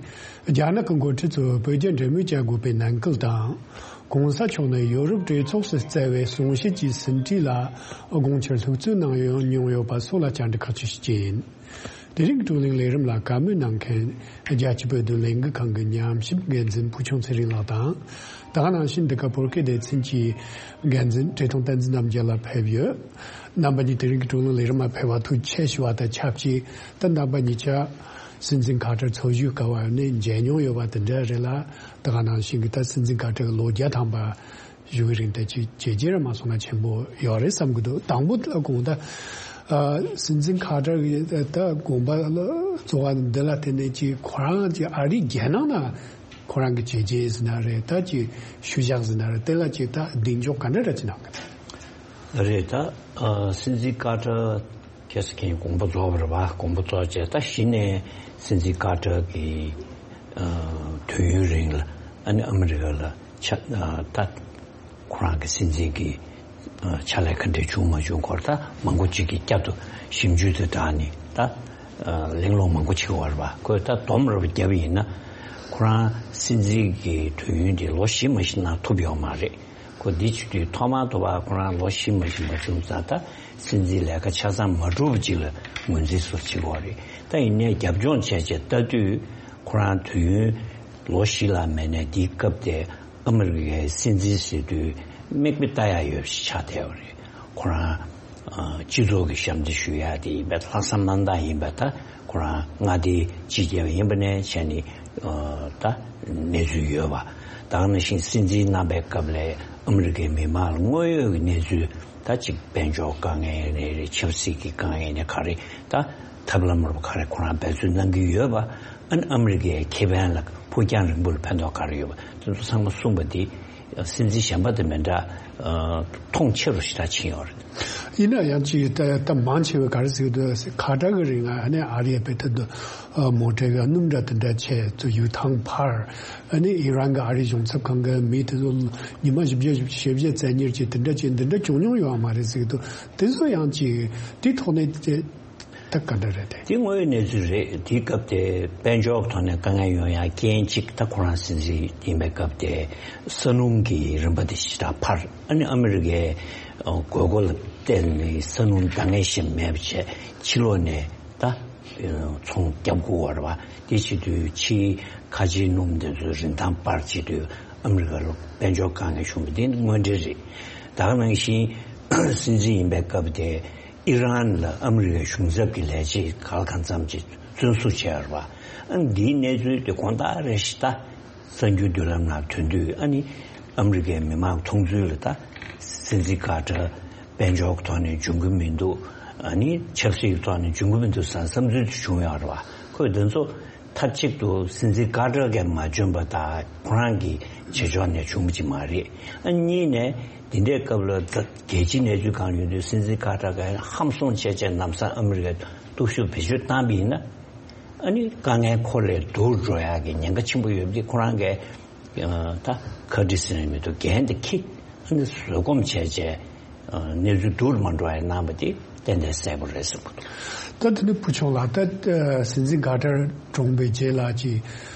རྒྱ་ནག་གི་འགོ་ཁྲིད་ཚོས་བོད་རྒྱ་འབྲེལ་མོལ་བྱ་དགོས་པའི་ནན་སྐུལ་དང་། གོང་ས་མཆོག་ནས་ཡོ་རོབ་གྲོས་ཚོགས་སུ་བསྩལ་བའི་གསུང་བཤད་ཀྱི་ཟིན་བྲིས་ལ་དགོངས་འཆར་ལྷུག་བསྩལ་གནང་ཡོད་མྱོང་ཡོད་པ་སོགས་ལ་བཅར་འདྲི་ཁག་ཅིག་ཞུ་རྒྱུ་ཡིན། དེ་རིང་བགྲོ་གླེང་ལས་རིམ་ལ་བཀའ་མོལ་གནང་མཁན་རྒྱལ་སྤྱིའི་བོད་དོན་ལས་འགུལ་ཁང་གི་ཉམས་ཞིབ་འགན་འཛིན་ཕུལ་བྱུང་ཚེ་རིང་ལགས་དང་། ད་ག་ནང་བཞིན་འདི་ག་བོད་སྐད་སྡེ་ཚན་གྱི་འགན་འཛིན་བཀྲས་མཐོང་བསྟན་འཛིན་རྣམ་རྒྱལ་ལགས་ཕེབས་ཡོད། རྣམ་པ་གཉིས་དེ་རིང་གི་བགྲོ་གླེང་ལས་རིམ་ལ་ཕེབས་པ་ཐུགས་རྗེ་ཆེ་ཞུ་བ་དང་ཆབས་ཅིག་ད་རྣམ་པ་གཉིས་ཆ་སྲིད་འཛིན་ཁ་ཏར་འཚོ་བཞུགས་སྐབས་ནས་མཇལ་མྱོང་ཡོད་པ་དེ་འདྲ་རེད་ལ། ད་ག་ནང་བཞིན་གྱི་ད་སྲིད་འཛིན་ཁ་ཏར་གྱི་ལོ་བརྒྱ་ཐམ་པ་བཞུགས་རིང་དེ་ཅིག་བྱས་རྗེས་ར་མ་སོང་ན་ཆེན་པོ་ཡོད་རེད་བསམ་གྱི་འདུག་དང་པོ་ལ་དགོངས་དག་ཨ། སྲིད་འཛིན་ཁ་ཏར་གྱི་ད་དགོངས་པ་ལ་གཙོ་བོ་འདི་ལ་བརྟེན་ནས་ཅིག་ཁོ་རང་ཅིག་ཨ་རིའི་རྒྱལ་ནང་ན་ཁོ་རང་གི་བྱས་རྗེས་ཟེར་ན་རེད། ད་ཅིག་ཤུལ་བཞག་ཟེར་ན་རེད། དེ་ལ་ཅིག་ད་གདེང་འཇོག་ག་འདྲ་ར་ཅིག་གནང་གི་རེད། ད་ཨ། སྲིད་འཛིན་ཁ་ཏར་ཁ་སང་དགོངས་པ་རྫོགས་པ་རེད་པ། དགོངས་པ་རྫོགས་རྗེས་ད་གཞི་ནས་སྲིད་འཛིན་ཁ་ཏར་གྱི་ཨ། དུས་ཡུན་རིང་ལ་ཨ་ནི་ཨ་མི་རི་ཀ་ལ་ཆ་ཨ། ད་ཁོ་རང་གི་སྲིད་འཛིན་གྱི་ཨ། ཕྱག་ལས་ག་འདྲ་བྱུང་མ་བྱུང་སྐོར་ད་མང་པོ་ཅིག་གིས་བསྐྱར་དུ་ཞིབ་འཇུག་དང་སྦྲགས་ནས་ད་ཨ། གླེང་སློང་མང་པོ་བྱེད་ཀྱི་ཡོད་རེད་པ། ཁོས་ད་སྡོམ་རེ་བརྒྱབ་པ་ཡིན་ན་ཁོ་རང་སྲིད་འཛིན་གྱི་དུས་ཡུན་དེ་ལོ་བཞི་མ་ཞིག་གནང་ཐུབ་ཡོད་མ་རེད། ཁོ་འདི་བྱེད་དུས་ཐོག་མར་དུ་བ་ཁོ་རང་ལོ་བཞི་མ་ཞིག་མ་བྱུང་ཙང་ད་སྲིད་འཛིན་ལས་ཀ་ཆ་ཚང་མ་གྲུབ་པ་ཅིག་ལ་ངོས་འཛིན་སོགས་བྱེད་དགོས་རེད། ད་ཡིན་ནའི་རྒྱབ་ལྗོངས་བྱས་བྱས་ལྟ་དུས་ཁོ་རང་དུས་ཡུན་ལོ་བཞི་ལ་མེད་ནའི་འདིའི་སྐབས་དེ་ཨ་མི་རི་ཀའི་སྲིད་འཛིན་ཟེར་དུས་མིག་དཔེ་ལྟ་ཡ་ཡོད་ཞིག་ཆགས་བསྡད་པ་རེད། ཁོ་རང་ཨ། སྤྱི་ཚོགས་ཀྱི་ཞབས་འདེགས་ཞུ་ཡ་དེ་ཡིན་པས་ལྷག་བསམ་རྣམ་དག་ཡིན་པས་ད་ཁོ་རང་མངའ་སྡེའི་སྤྱི་ཁྱབ་ཡིན་པ་ནས་བྱས་ནས་ཨ། ད་གནས་ཚུལ་ཡོད་པ། ད་ག་ནང་བཞིན་སྲིད་འཛིན་གནང་པའི་སྐབས་ལ་ཨ་མི་རི་ཀའི་མི་མང་ལ་དངོས་ཡོད་ཀྱི་གནས་ཚུལ་ད་ཅིག་དཔལ་འབྱོར་དཀའ་ངལ་རེད་རེད། ཆབ་སྲིད་ཀྱི་དཀའ་ངལ་ནས་ག་རེ་ད་ཐབས་ལམ་རོབ་ག་རེ་ཁོ་རང་འབད་བརྩོན་གནང་གི་ཡོད་པ། ཨ་ནི་ཨ་མི་རི་ཀའི་ཁེ་ཕན་ལ་ཕུགས་རྒྱང་རིང་པོ་ལ་ཕན་ཐོགས་ག་རེ་ཡོད་པ་དེ་ཚོ་ཚང་མ་གསུངས་པ་འདི་སྲིད་འཛིན་གཞན་པ་དང་མི་འདྲ་ཨ། མཐོང་ཆེ་རུ་ཞེ་དྲག་ཕྱིན་ཡོད་རེད། ཡིན་ན་ཡང་ཅིག་ད་ད་མང་ཆེ་བས་ག་རེ་ཟེར་གི་འདུག་ཟེར། ཁ་ཏར་གྱི་རིང་ལ་ཨ་ནི་ཨ་རིའི་བེ་ད་དུ་མོ་ཊའི་གི་སྣུམ་འདྲ་དེ་འདྲ་བྱས་ཚུར་ཡུལ་ཐང་འཕར། ཨ་ནི་ཨི་རན་གྱི་ཨ་རིའི་གཞུང་ཚབ་ཁང་གི་མི་དེ་ཚོ་ཉི་མ་བཞི་བརྒྱ་བཞི་བཅུ་ཞེ་བརྒྱད་བཙན་ཉར་བྱས་དེ་འདྲ་བྱས་འདི་འདྲ་བྱུང་མྱོང་ཡོད་མ་རེད་ཟེར་གི་འདུག་དེ་ཚོ་ཡང་ཅིག་དེ་ཐོག་ནས་ད་ག་འདྲ་རེད་དེ། དེ་དངོས་ཡོད་གནས་ཚུལ་རེད། དེའི་སྐབས་དེ་དཔལ་འབྱོར་གྱི་ཐོག་ནས་དཀའ་ངལ་ཡོང་ཡ་རྐྱེན་གཅིག་ད་ཁོ་རང་སྲིད་འཛིན་ཡིན་པའི་སྐབས་དེ་ས་སྣུམ་གྱི་རིན་པ་དེ་ཞེ་དྲག་འཕར། ཨ་ནི་ཨ་མི་རི་ཀའི་དགོས་མཁོ་ལ་བརྟེན་ནས་ས་སྣུམ་འདང་ངེས་ཤིག་མེད་པ་བྱས་ཕྱི་ལོགས་ནས་ད་ཚོང་རྒྱབ་དགོས་པ་རེད་པ། དེ་བྱེད་དུས་ཕྱིའི་ཁ་ཆེའི་སྣུམ་དེ་ཚོའི་རིན་ཐང་འཕར་བྱེད་དུས་ཨ་མི་རི་ཀ་ལ་དཔལ་འབྱོར་དཀའ་ངལ་བྱུང་བ་དེ་ནི་དངོས་འབྲེལ་རེད། ད་ག་ནང་བཞིན་སྲིད་འཛིན་ཡིན་པའི་སྐབས་དེ། ཨི་རན་ལ་ཨ་མི་རི་ཀའི་གཞུང་ཚབ་ཀྱི་ལས་བྱེད་ག་ལ་གང་འཚམ་ཅིག་བཙོན་བཟུང་བྱས་ཡོད་རེད་པ། ཨ་ནི་འདིའི་གནས་ཚུལ་དེ་དགོང་དག་རེ་བཞིན་ད་གསར་འགྱུར་མདུན་ལམ་ནང་ཐོན་དུས། ཨ་ནི་ཨ་མི་རི་ཀའི་མི་མང་མཐོང་ཚུལ་ལ་ད་སྲིད་འཛིན་ཁ་ཏར་དཔལ་འབྱོར་གྱི་ཐོག་ནས་འཇོན་གྱི་མི་འདུག་ཨ་ནི་ཆབ་སྲིད་ཀྱི་ཐོག་ནས་འཇོན་གྱི་མི་འདུག་བསམ་བསམ་ཚུལ་དེ་བྱུང་ཡོད་རེད་པ། ཁོས་འདི་ཚོ་མཐའ་གཅིག་ཏུ་སྲིད་འཛིན་ཁ་ཏར་གྱིས་མ་འཇོན་པ་དང་ཁོ་རང་གི་བྱེད་ཕྱོགས་ནས་བྱུང་བ་ཅིག་མ་རེད། ཨ་གཉིས་ནས་འདི་འདྲའི་སྐབས་ལ་ད་རྒྱལ་སྤྱིའི་གནས་ཚུལ་གང་ཡོད་དུས་སྲིད་འཛིན་ཁ་ཏར་གྱིས་ཧམ་སོང་བྱས་བྱས་ལམ་སང་ཨ་མི་རི་ཀའི་སྟོབས་ཤུགས་བེད་སྤྱོད་བཏང་པ་ཡིན་ན། ཨ་ནི་དཀའ་ངལ་ཁོ་ལས་སྡུག་འགྲོ་ཡག་གི་ཉེན་ཁ་ཆེན་པོ་ཡོད་པ་འདི་ཁོ་རང་གིས་ད་ཁ་ཏར་ཟེར་ནས་མི་འདུག་འགན་དེ་འཁྱེར། ཨ་ནི་བཟོད་སྒོམ་བྱས་བྱས་གནས་ཚུལ་སྡུག་རུ་མ་འགྲོ་བ་ཡིན་གནང་བ་དེ་ཏན་ཏན་གསལ་པོ་རེད་བསམ་གྱི་འདུག་ད་དེ་ནི་བུ་ཆུང་ལགས། ད་སྲིད་འཛིན་ཁ་ཏར་གྲོངས་པའི་རྗེས་ལ་ཅིག་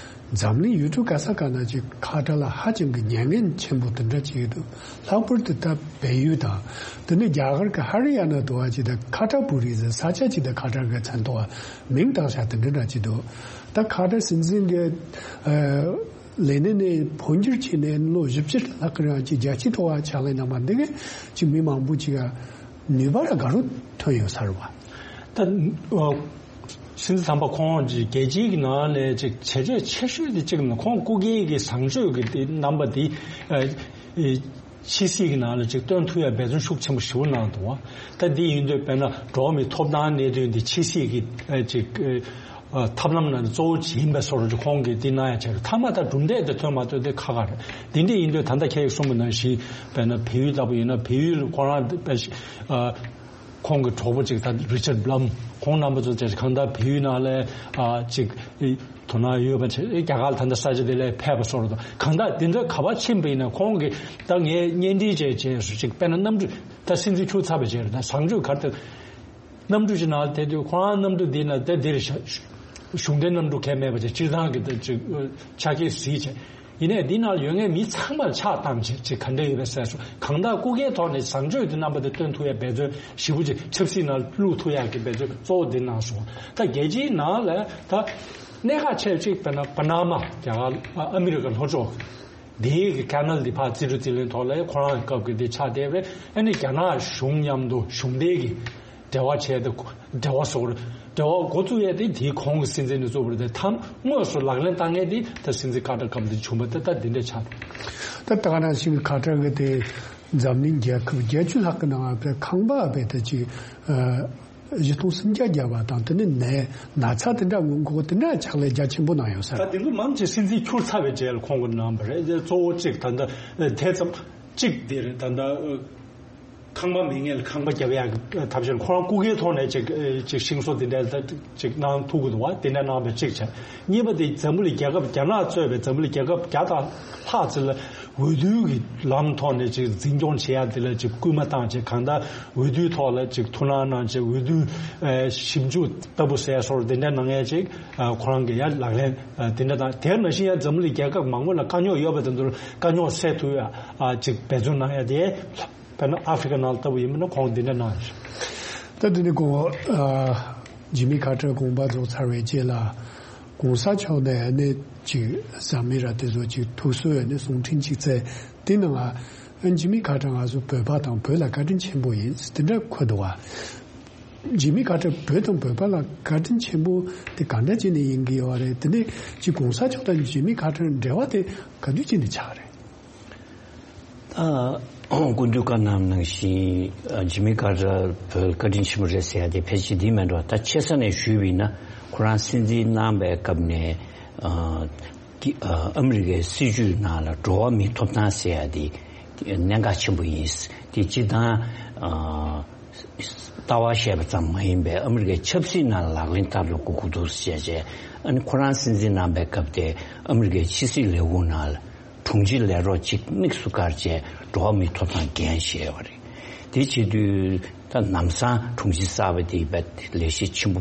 འཛམ་གླིང་ཡུལ་གྲུ་ག་ས་ག་ན་ཅིག་ཁ་ཏར་ལ་ཧ་ཅང་གི་མྱ་ངན་ཆེན་པོ་དེ་འདྲ་ཅིག་ཡོད་འདུག་ལྷག་པར་དུ་ད་བལ་ཡུལ་དང་། དེ་ནས་རྒྱ་གར་གྱི་ཧ་རི་ཡ་ན་དུ་བ་ཅིག་ད་ཁ་ཏར་པུ་རི་ཟེར་ས་ཆ་ཅིག་ད་ཁ་ཏར་གྱི་མཚན་ཐོགས་མིང་བཏགས་བཞག་དེ་འདྲ་འདྲ་ཅིག་འདུག་ད་ཁ་ཏར་སྲིད་འཛིན་གྱི་ལས་གནས་ནས་འཕོ་འགྱུར་བྱས་ནས་ལོ་བཞི་བཅུ་ལྷག་གི་རིང་ཅིག་རྒྱལ་སྤྱིའི་ཐོག་བ་ཕྱག་ལས་གནང་བ་འདི་གས་ཅིག་མི་མང་པོ་ཅིག་ག་ནུས་པ་ར་ག་རུ་ཐོན་ཡོད་ས་རེད་བ། ད་ཨ། སྲིད་འཛིན་དམ་པ་ཁོང་གིས་རྒྱལ་སྤྱིའི་གི་ནང་ནས་ཅིག་བྱས་རྗེས་ཆེ་ཤོས་དེ་གཅིག་ནི་ཁོང་སྐུ་སྒེར་གྱི་བཟང་སྤྱོད་ཀྱི་དེ་རྣམ་པ་དེ་ཨ། ཨེ། ཕྱི་སྲིད་ཀྱི་ནང་ལ་ཅིག་སྟོན་ཐུབ་ཡ་འབད་བརྩོན་ཤུགས་ཆེན་པོ་ཞེ་པོ་གནང་འདུག་བ། ད་འདི་ཡིན་དུས་དཔེར་ན་འགྲོ་བ་མིའི་ཐོབ་ཐང་གནད་དོན་འདི་ཕྱི་སྲིད་ཀྱི་ཨ། ཅིག་ཨ། ཐབས་ལམ་ནང་གཙོ་བོ་ཅིག་ཡིན་པའི་བཟོ་འདྲ་ཅིག་ཁོང་གིས་འདི་གནང་ཡ་བྱས་རེད། མཐའ་མ་ད་གྲུབ་འབྲས་དེ་ཐོན་མ་ཐོན་དེ་ཁག་ཁག་རེད། འདི་འདྲ་ཡིན་དུས་ད་ལྟ་ཁྱེད་ཀྱིས་གསུངས་པ་ནང་བཞིན་དཔེར་ན་བལ་ཡུལ་ལྟ་བུ་ཡིན་ན་བལ་ཡུལ་ཁོ་རང་དཔེ་ཨ། ཁོང་གི་གྲོགས་པོ་གཅིག་ད་རི་ཅར་བྷ་ལམ་ཁོང་རྣམ་པ་ཚོ་བཅས་གང་ལྟར་བལ་ཡུལ་ནང་ལ་ཨ་གཅིག་དོ་སྣང་ཡོད་པ་བྱས། རྒྱ་གར་ལ་ད་ལྟ་ས་ཆ་དེ་ལ་ཕེབས་པ་སོགས་རེད། གང་ལྟར་དེ་ཚོ་ག་པར་ཕྱིན་པ་ཡིན་ན་ཁོང་གིས་ད་ངས་གཉེན་སྒྲིག་བྱས་བྱས་སུ་གཅིག་དཔེར་ན་གནམ་གྲུ་ད་སྲིད་འཛིན་ཁྱུར་ཚར་བ་བྱས་རེད། ད་བཟང་སྤྱོད་གར་ད་གནམ་གྲུ་ཞིག་ནང་ལ་དེ་དུས་ཁོ་རང་གནམ་གྲུ་འདི་ན་ད་འདིར་གཞུང་འབྲེལ་གནམ་གྲུ་གས་མེད་པ་བྱས་སྤྱིར་བཏང་གི་ད་གཅིག་ཆ་རྐྱེན་གཟིགས་བྱས། ཡིན་ནའི་འདི་ནང་ཡོད་མཁན་མི་ཚང་མར་ཕྱག་བཏང་བྱས་ཅིག་ག་འདྲ་ཡོད་པའི་གསལ་སོ། གང་ལྟར་སྐུ་སྒེར་ཐོག་ནས་བཟང་སྤྱོད་ཀྱི་རྣམ་པ་དེ་སྟོན་ཐུབ་ཡ་འབད་བརྩོན་ཞེ་པོ་ཅིག་ཆབ་སྲིད་ནང་བླུག་ཐུབ་ཡ་གི་འབད་བརྩོན་གཙོ་བོ་འདི་གནང་སོང་། ད་རྒྱལ་སྤྱིའི་ནང་ལ་ད་གནད་འགག་ཆེ་གཅིག་དཔེར་ན་པ་ན་མ་རྒྱ་གར་ཨ་མི་རི་ཀ་ལྷོ་ཕྱོགས་འདིའི་གི་ཀ་ནལ་འདི་ཕར་རྩིས་འཕྲུལ་རྩིས་ལེན་ཐོག་ལ་ཁོ་རང་གི་སྐབས་ཀྱི་འདི་ཆགས་བསྡད་པས། ཨ་ནི་རྒྱ་ནག་གཞུང་མཉམ་དུ་གཞུང་འབྲེལ་གྱི་འབྲེལ་བ་བྱས་ཏེ། འབྲེལ་བ་སོགས་འབྲེལ་བ་འགོ་བཙུགས་ཡས་དེ་དེའི་གོང་གི་སྲིད་འཛིན་ནས་བཙུགས་པ་རེད་དེ། ཐམ་དངོས་སུ་ལག་ལེན་བསྟར་མཁན་དེ་ད་སྲིད་འཛིན་ཀ་ཏར་སྐབས་དེ་བྱུང་བ་དེ་ད་འདི་འདྲ་ཆགས་འདུག་ད་ད་ག་ནང་བཞིན་ཀ་ཏར་གི་དེ་འཛམ་གླིང་རྒྱལ་ཁབ་བརྒྱད་ཅུ་ལྷག་གི་ནང་ང་ཁང་པ་བས་ད་ཅིག་བཞི་སྟོང་སུམ་བརྒྱ་བརྒྱབ་པ་དང་། དེ་ནས་ནད་ན་ཚ་དེ་འདྲ་སྔོན་འགོག་དེ་འདྲ་ཕྱག་ལས་རྒྱ་ཆེན་པོ་གནང་ཡོད་ས་ད་རེད། དེ་ཚོ་མང་ཆེ་སྲིད་འཛིན་འཁྱུར་ཚར་བའི་རྗེས་ལ་ཁོང་གིས་གནང་བ་རེད། གཙོ་བོ་གཅིག་ད་ལྟ་དེ་ཙམ་གཅིག་དེ་རེད། ད་ལྟ། ཁང་པ་མེད་མཁན་ལ་ཁང་པ་རྒྱབ་ཡག་གི་ཐབས་ཤེས། ཁོ་རང་སྐུ་སྒེར་ཐོག་ནས་ཅིག་ཅིག་ཤིང་བཟོ་དེ་འདྲ་ཅིག་གནང་ཐུབ་ཀྱི་འདུག་བ། དེ་འདྲ་གནང་བའི་གཅིག་བྱས། གཉིས་པ་དེ་འཛམ་བུ་གླིང་རྒྱལ་ཁབ་རྒྱ་ནག་གཙོས་པའི་འཛམ་བུ་གླིང་རྒྱལ་ཁབ་བརྒྱ་དང་ལྷག་ཙམ་ལ་འོས་བསྡུ་གི་ལམ་ཐོག་ནས་ཅིག་འཛིན་སྐྱོང་བྱེད་ཡག་དེ་ལ་ཅིག་སྐུལ་མ་བཏང་བྱས། གང་ལྟར་འོས་བསྡུའི་ཐོག་ལ་ཅིག་ཐུགས་སྣང་གནང་བྱས། འོས་བསྡུ་ཞིབ་འཇུག་ལྟ་བུ་ཟེར་སོགས་དེ་འདྲ་གནང་ཡག་ཅིག་ཁོ་རང་གི་ཡ་ལག་ལེན་དེ་འདྲ་དང་། དེ་ནང་བཞིན་ཡང་འཛམ་བུ་གླིང་རྒྱལ་ཁབ་མང་པོ་ལ་དཀའ་རྙོག་ཡོད་པ་དེ་ཚོར་དཀའ་རྙོག་སེལ་ཐུབ་ཡག་ཅིག་འབད་བརྩོན་གནང་ཡག་དེ། དཔེར་ན་ཨ་ཧྥེ་རི་ཁ་ནང་ལྟ་བུ་ཡིན་པ་ན་ཁོང་འདི་འདྲ་གནང་ཡོད། ད་འདི་ནི་ཁོང་ཨ་ཇི་མི་ཁ་ཏར་དགོངས་པ་རྫོགས་ཚར་བའི་རྗེས་ལ་གོང་ས་མཆོག་ནས་ཨ་ནི་ཅིག་བཟའ་མི་ར་དེ་ཚོ་ཅིག་ཐུགས་གསོའི་ཨ་ནི་གསུང་འཕྲིན་ཅིག་བསྩལ། དེ་ནང་ཨ་ཇི་མི་ཁ་ཏར་ང་ཚོ་བོད་པ་དང་བོད་ལ་བཀའ་དྲིན་ཆེན་པོ་ཡིན་དེ་འདྲ་འཁོད་འདུག་བ། ཇི་མི་ཁ་ཏར་བོད་དང་བོད་པ་ལ་བཀའ་དྲིན་ཆེན་པོ་དེ་གང་འདྲ་བྱས་ནས་ཡིན་གྱི་ཡོད་རེད། དེ་ནས་ཅིག་གོང་ས་མཆོག་དང་ཇི་མི་ཁ་ཏར་འབྲེལ་བ་དེ་ག་དུས་བྱས་ནས་ཆགས་རེད། ད་སྐུ་མདུན་བཀའ་གནང་ནང་བཞིན་ཇི་མི་ཁ་ཏར་བོད་བཀའ་དྲིན་ཆེན་པོ་རེད་ཟེར་ཡ་དེ་ཕལ་ཆེར་འདི་མེད་འགྲོ། ད་ཆེ་ས་ནས་ཞུས་པ་ཡིན་ན་ཁོ་རང་སྲིད་འཛིན་གནང་པའི་སྐབས་ནས་ཨ་ཨ་མི་རི་ཀའི་སྲིད་བྱུས་ནང་ལ་འགྲོ་བ་མིའི་ཐོབ་ཐང་ཟེར་ཡ་དེ་གནད་འགག་ཆེན་པོ་ཡིན། དེ་སྤྱི་བཏང་ལྟ་བ་བཤད་པ་ཙམ་མ་ཡིན་པའི་ཨ་མི་རི་ཀའི་ཆབ་སྲིད་ནང་ལག་ལེན་བསྟར་དགོས་ཀྱི་འདུག་ཟེར་བྱས། ཨ་ནི་ཁོ་རང་སྲིད་འཛིན་གནང་པའི་སྐབས་དེ་ཨ་མི་རི་ཀའི་ཕྱི་སྲིད་ལས་ཁུངས་ནང་ལ་དྲུང་ཆེ་ལས་རོགས་གཅིག་དམིགས་སུ་བཀར་བྱས་འགྲོ་བ་མིའི་ཐོབ་ཐང་འགན་བཞེས་པ་རེད། དེ་བྱེད་དུས་ད་ལམ་སང་དྲུང་ཆེ་གསར་པ་དེ་ལས་གཞི་ཆེན་པོ་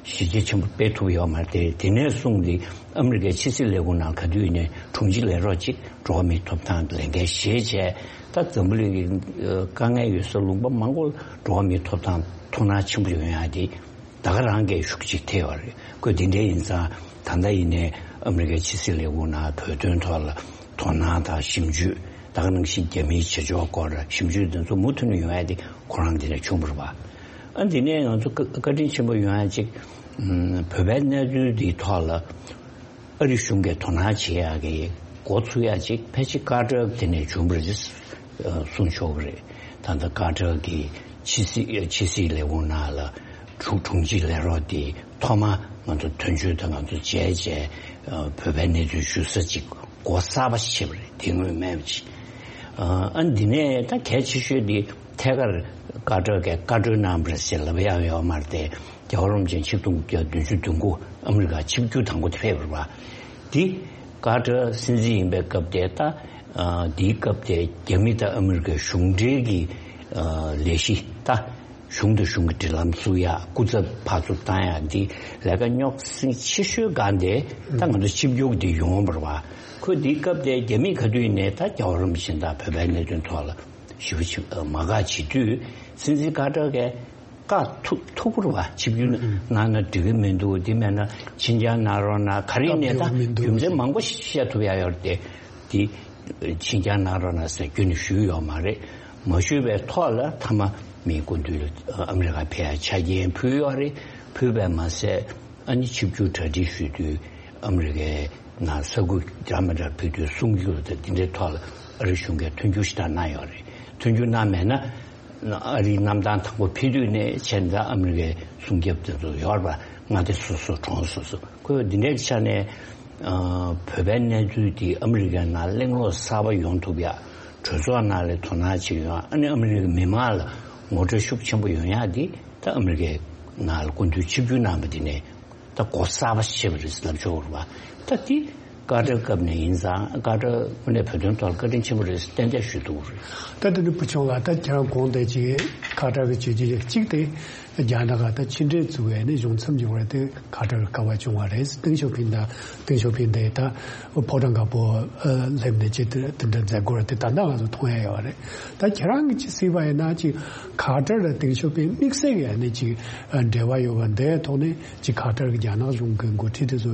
གཞི་རྒྱ་ཆེན་པོ་སྤེལ་ཐུབ་ཡོད་མ་རེད། དེ་ནས་བཟུང་སྟེ་ཨ་མི་རི་ཀའི་ཕྱི་སྲིད་ལས་ཁུངས་ནང་ག་དུས་ཡིན་ནའི་དྲུང་ཆེ་ལས་རོགས་གཅིག་འགྲོ་བ་མིའི་ཐོབ་ཐང་ལས་འགན་བཞེས་བྱས། ད་འཛམ་བུ་གླིང་གི་དཀའ་ངལ་ཡོད་ས་ལུང་པ་མང་པོ་འགྲོ་བ་མིའི་ཐོབ་ཐང་ཐུགས་སྣང་ཆེན་པོ་ཡོང་ཡག་དེ་ད་ག་རང་གིས་ཤུགས་གཅིག་ཐེབས་པ་རེད། ཁོས་འདི་འདྲ་ཡིན་ཙང་ད་ལྟ་ཡིན་ནའི་ཨ་མི་རི་ཀའི་ཕྱི་སྲིད་ལས་ཁུངས་ནང་བོད་དོན་ཐོག་ལ་དོ་སྣང་དང་ཞིབ་འཇུག་ད་ག་ནང་བཞིན་རྒྱ་མིའི་བྱེད་ཕྱོགས་སྐོར་ཞིབ་འཇུག་འདི་ཚོ་མུ་མཐུད་ནས་ཡོང་ཡག་དེ་ཁོ་རང་འདི་ནས་བྱུང་བ་རེད་པ། ཨ་འདི་ནས་ང་ཚོ་བཀའ་བཀའ་དྲིན་ཆེན་པོ་ཡོང་ཡག་ཅིག་བོད་པའི་གནས་ཚུལ་འདིའི་ཐོག་ལ་ཨ་རི་གཞུང་གིས་དོ་སྣང་བྱེད་ཡག་གི་འགོ་ཚུགས་ཡག་ཅིག་ཕལ་ཆེར་ཀ་ཏར་དེ་ནས་བྱུང་བ་རེད་གསུང་ཆོག་གི་རེད། ད་ལྟ་ཀ་ཏར་གྱི་ཕྱི་སྲིད་ཕྱི་སྲིད་ལས་ཁུངས་ནང་ལ་དྲུང་དྲུང་ཆེ་ལས་རོགས་དེ་ཐོག་མ་ང་ཚོ་དོན་གཅོད་དང་ང་ཚོ་མཇལ་བྱས་བོད་པའི་གནས་ཚུལ་ཞུ་ས་ཅིག་འགོ་གསར་པ་ཞིག་བྱས་པ་རེད། དེ་སྔོན་མེད་པ་ཅིག་ཨ་འདི་ནས་ད་གལ་ཆེ་ཤོས་དེ་ཐད་ཀར་ཀ་ཏར་གྱི་བཀའ་འཁྲོལ་གནང་བ་རེད་ཟེར་ལབ་ཡག་ཡོད་མ་རེད་དེ། རྒྱལ་བ་རིན་པོ་ཆེ་ཆིག་སྟོང་དགུ་བརྒྱ་བདུན་ཅུ་དོན་དགུ་ཨ་མི་རི་ཀ་ཆིབས་བསྒྱུར་དང་པོ་དེ་ཕེབས་པ་རེད་པ། དེ་ཀ་ཏར་སྲིད་འཛིན་ཡིན་པའི་སྐབས་དེ་ད་ཨ་དེའི་སྐབས་དེ་རྒྱ་མི་དང་ཨ་མི་རི་ཀའི་གཞུང་འབྲེལ་གྱི་ཨ་ལས་གཞི་ད་གཞུང་དང་གཞུང་གི་འབྲེལ་ལམ་བཙུགས་ཡག་སྐུ་ཚབ་ཕར་ཚུར་བཏང་ཡག་འདི་ལས་ཀ་རྙོག་ཟིང་ཆེ་ཤོས་སྒང་དེ་ད་ང་ཚོ་ཆིབས་བསྒྱུར་འདི་ཡོང་བ་རེད་པ། ཁོས་དེའི་སྐབས་དེ་རྒྱ་མིས་ག་དུས་ནས་ད་རྒྱལ་བ་རིན་པོ་ཆེ་དང་བོད་པའི་གནད་དོན་ཐོག་ལ་ཞེ་པོ་ཅིག་མ་དགའ་བྱེད་དུས་སྲིད་འཛིན་ཀ་ཏར་གྱིས་བཀག་ཐུབ་ཐུབ་པ་རེད་པ། ཆིབས་བསྒྱུར་གནང་ན་འགྲིག་གི་མི་འདུག་དེ་མེད་ན་ཕྱིར་འགྱངས་གནང་རོགས་གནང་། ག་རེ་ཡིན་ནའི་ད་རྒྱུ་མཚན་མང་པོ་བཤད་ཐུབ་ཡག་ཡོད་རེད་དེ། དེ་ཕྱིར་འགྱངས་གནང་རོགས་གནང་ཟེར་རྒྱུན་ནས་ཞུས་ཡོད་མ་རེད། མ་ཞུས་པའི་ཐོག་ལ་མཐའ་མ་མིའི་སྐུ་མདུན་ལ་ཨ་མི་རི་ཀ་ཕེབས་ཡག་ཆ་རྐྱེན་ཕུལ་ཡོད་རེད། ཕུལ་བས་མ་ཟད་ཨ་ནི་ཆིབས་བསྒྱུར་གྲ་སྒྲིག་ཞུ་དུས་ཨ་མི་རི་ཀའི་ནང་ས་ཁུལ་འདྲ་མི་འདྲ་ཕེབས་དུས་གསུང་སྒྱུར་དང་འདི་འདྲའི་ཐོག་ལ་ཨ་རི་གཞུང་གིས་མཐུན་འགྱུར་ཞེ་དྲག་གནང་ཡོད་རེད། མཐུན་འགྱུར་གནང་མེད་ན་ཨ་རིའི་གནམ་ཐང་དང་པོ་ཕེབས་དུས་ནས་བྱས་ནས་ཨ་མི་རི་ཀའི་སྲུང་སྐྱོབ་དེ་ཚོ་ཡོད་རེད་པ། མངའ་སྡེ་སོ་སོ་གྲོང་སོ་སོ། ཁོས་འདི་འདྲའི་ཆ་ནས་ཨ་བོད་པའི་གནས་ཚུལ་འདི་ཨ་མི་རི་ཀའི་ནང་གླེང་སློང་གསར་པ་ཡོང་ཐུབ་ཡག་གྲོས་ཚོགས་ནང་ལ་དོ་སྣང་ཅིག་ཡོང་ཡག་ཨ་ནི་ཨ་མི་རི་ཀའི་མི་མང་ལ་ངོ་སྤྲོད་ཤུགས་ཆེན་པོ་ཡོང་ཡག་འདི་ད་ཨ་མི་རི་ཀའི་ནང་ལ་སྐུ་མདུན་ཆིབས་བསྒྱུར་གནང་བ་འདི་ནས་ད་འགོ་གསར་པ་ཞིག་བྱས་པ་རེད་ལབ་ཆོག་རེད་པ། ད་འདི་ཀ་ཏར་སྐབས་ནས་ཡིན་ཙང་ཀ་ཏར་དངོས་གནས་བོད་དོན་ཐོག་ལ་བཀའ་དྲིན་ཆེན་པོ་རེད་ཏན་ཏན་ཞུ་ཐུབ་རེད། ད་དེ་ནི་བུ་ཆུང་ལགས་ད་ཁྱེད་རང་དགོངས་དེ་ཅིག་ ཁ་ཏར་གྱི་བྱས་རྗེས་གཅིག་དེ་རྒྱ་ནག་ག་ད་ཕྱི་འབྲེལ་བཙུགས་པའི་ནི་གཞུང་ཚབ་འབྱོར་བ་དེ་ཁ་ཏར་གྱི་སྐལ་བ་བྱུང་བ་རེད། ཏེང་ཞའོ་ཕིང་དང་ཏེང་ཞའོ་ཕིང་དེ་ད་ཕོ་བྲང་དཀར་པོ་སླེབས་ནས་ཅིག་དེ་དེ་འདྲ་མཛད་སྒོ་ར་དེ་ད་ལྟ་ང་ཚོ་མཐོང་ཡ་ཡོད་རེད། ད་ཁྱེད་རང་གིས་ཅིག་གཟིགས་པ་ཡིན་ན་ཅིག་ཁ་ཏར་དང་ཏེང་ཞའོ་ཕིང་དམིགས་བསལ་གྱི་ནི་ཅིག་འབྲེལ་བ་ཡོད་པ་འདིའི་ཐོག་ནས་ཅིག་ཁ་ཏར་གྱི་རྒྱ་ནག་གཞུང་གི་འགོ་ཁྲིད་དེ་ཚོ་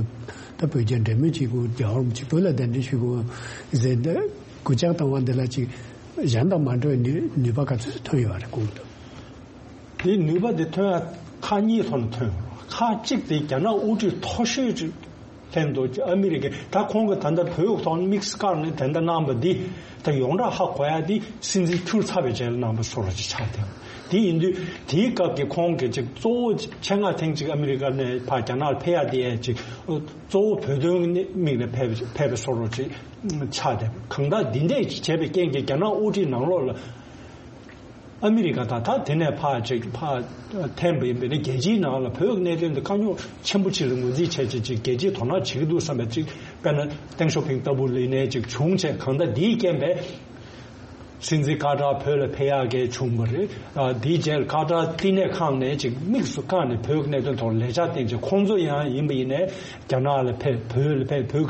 ད་བོད་རྒྱ་འབྲེལ་མོལ་བྱེད་དགོས། རྒྱལ་བ་རིན་པོ་ཆེ་བོད་ལ་གདན་འདྲེན་ཞུ་དགོས་ཟེར་འདི་སྐུལ་ལྕག་བཏང་བ་འདི་ལ་ཅིག་གཞན་དང་མ་འདྲ་བའི་ནུས་ནུས་པ་ག་ཚོད་ཐོན་ཡོད་རེད་གོང་དུ། དེའི་ནུས་པ་དེ་ཐོན་ཡ་ཁག་གཉིས་ཐོག་ནས་ཐོན་ཡོད་རེད། ཁག་གཅིག་དེ་རྒྱ་ནག་དབུ་ཁྲིད་མཐོ་ཤོས་ཅིག་ལྷན་དུ་ཨ་མི་རི་ཀའི་ད་ཁོང་གི་ད་ལྟ་བོད་ཐོག་དམིགས་བཀར་ནས་དེ་འདྲ་གནང་བ་འདི་ད་ཡོངས་གྲགས་ཧ་གོ་ཡ་འདི་སྲིད་འཛིན་འཁྱུར་ཚར་བའི་རྗེས་ལ་གནང་བ་བཟོ་འདྲ་ཅིག་ཆགས་བསྡད། དེ་ཡིན་དུས་དེའི་སྐབས་ཀྱི་ཁོང་གི་ཅིག་གཙོ་བོ་ཆེད་མངགས་ཐེངས་གཅིག་ཨ་མི་རི་ཀ་ནས་ཕར་རྒྱ་ནག་ལ་ཕེབས་ཡ་དེ་ཡ་ཅིག་གཙོ་བོ་བོད་དོན་དམིགས་ནས་ཕེབས་ཕེབས་པའི་བཟོ་འདྲ་ཅིག་ཆགས་བསྡད། གང་ལྟར་འདི་འདྲས་བྱས་པའི་རྐྱེན་གྱིས་རྒྱ་ནག་དབུ་ཁྲིད་ནང་ལོགས་ལ་ཨ་མི་རི་ཀ་དང་ད་དེ་ནས་ཕར་ཅིག་ཕར་འཐེན་པ་ཡིན་པས་ན་རྒྱལ་སྤྱིའི་ནང་ལ་བོད་ཀྱི་གནད་དོན་འདི་དཀའ་རྙོག་ཆེན་པོ་ཅིག་ལ་ངོས་འཛིན་བྱས་བྱས་ཅིག་རྒྱལ་སྤྱིའི་དོ་སྣང་བྱེད་ཀྱི་འདུག་བསམ་པའི་ཅིག་དཔེར་ན་ཏེང་ཞའོ་ཕིང་ལྟ་བུ་ལ་ཡིན་ནའི་ཅིག་བྱུང་བྱས། གང་ལྟར་འདིའི་རྐྱེན་པས་སྲིད་འཛིན་ཀ་ཏར་བོད་ལ་ཕེབས་ཡག་གི་བྱུང་བ་རེད། ཨ་འདིའི་རྗེས་ལ་ཀ་ཏར་བསྟི་གནས་ཁང་ནས་ཅིག་དམིགས་སུ་བཀར་ནས་བོད་ཀྱི་གནད་དོན་ཐོག་ལས་འཆར་བཏིང་བྱས། ཁོང་ཚོ་ཡང་ཡིན་པ་ཡིན་ནའི་རྒྱ་ནག་ལ་ཕེབས། བོད་ལ་ཕེབས། བོད་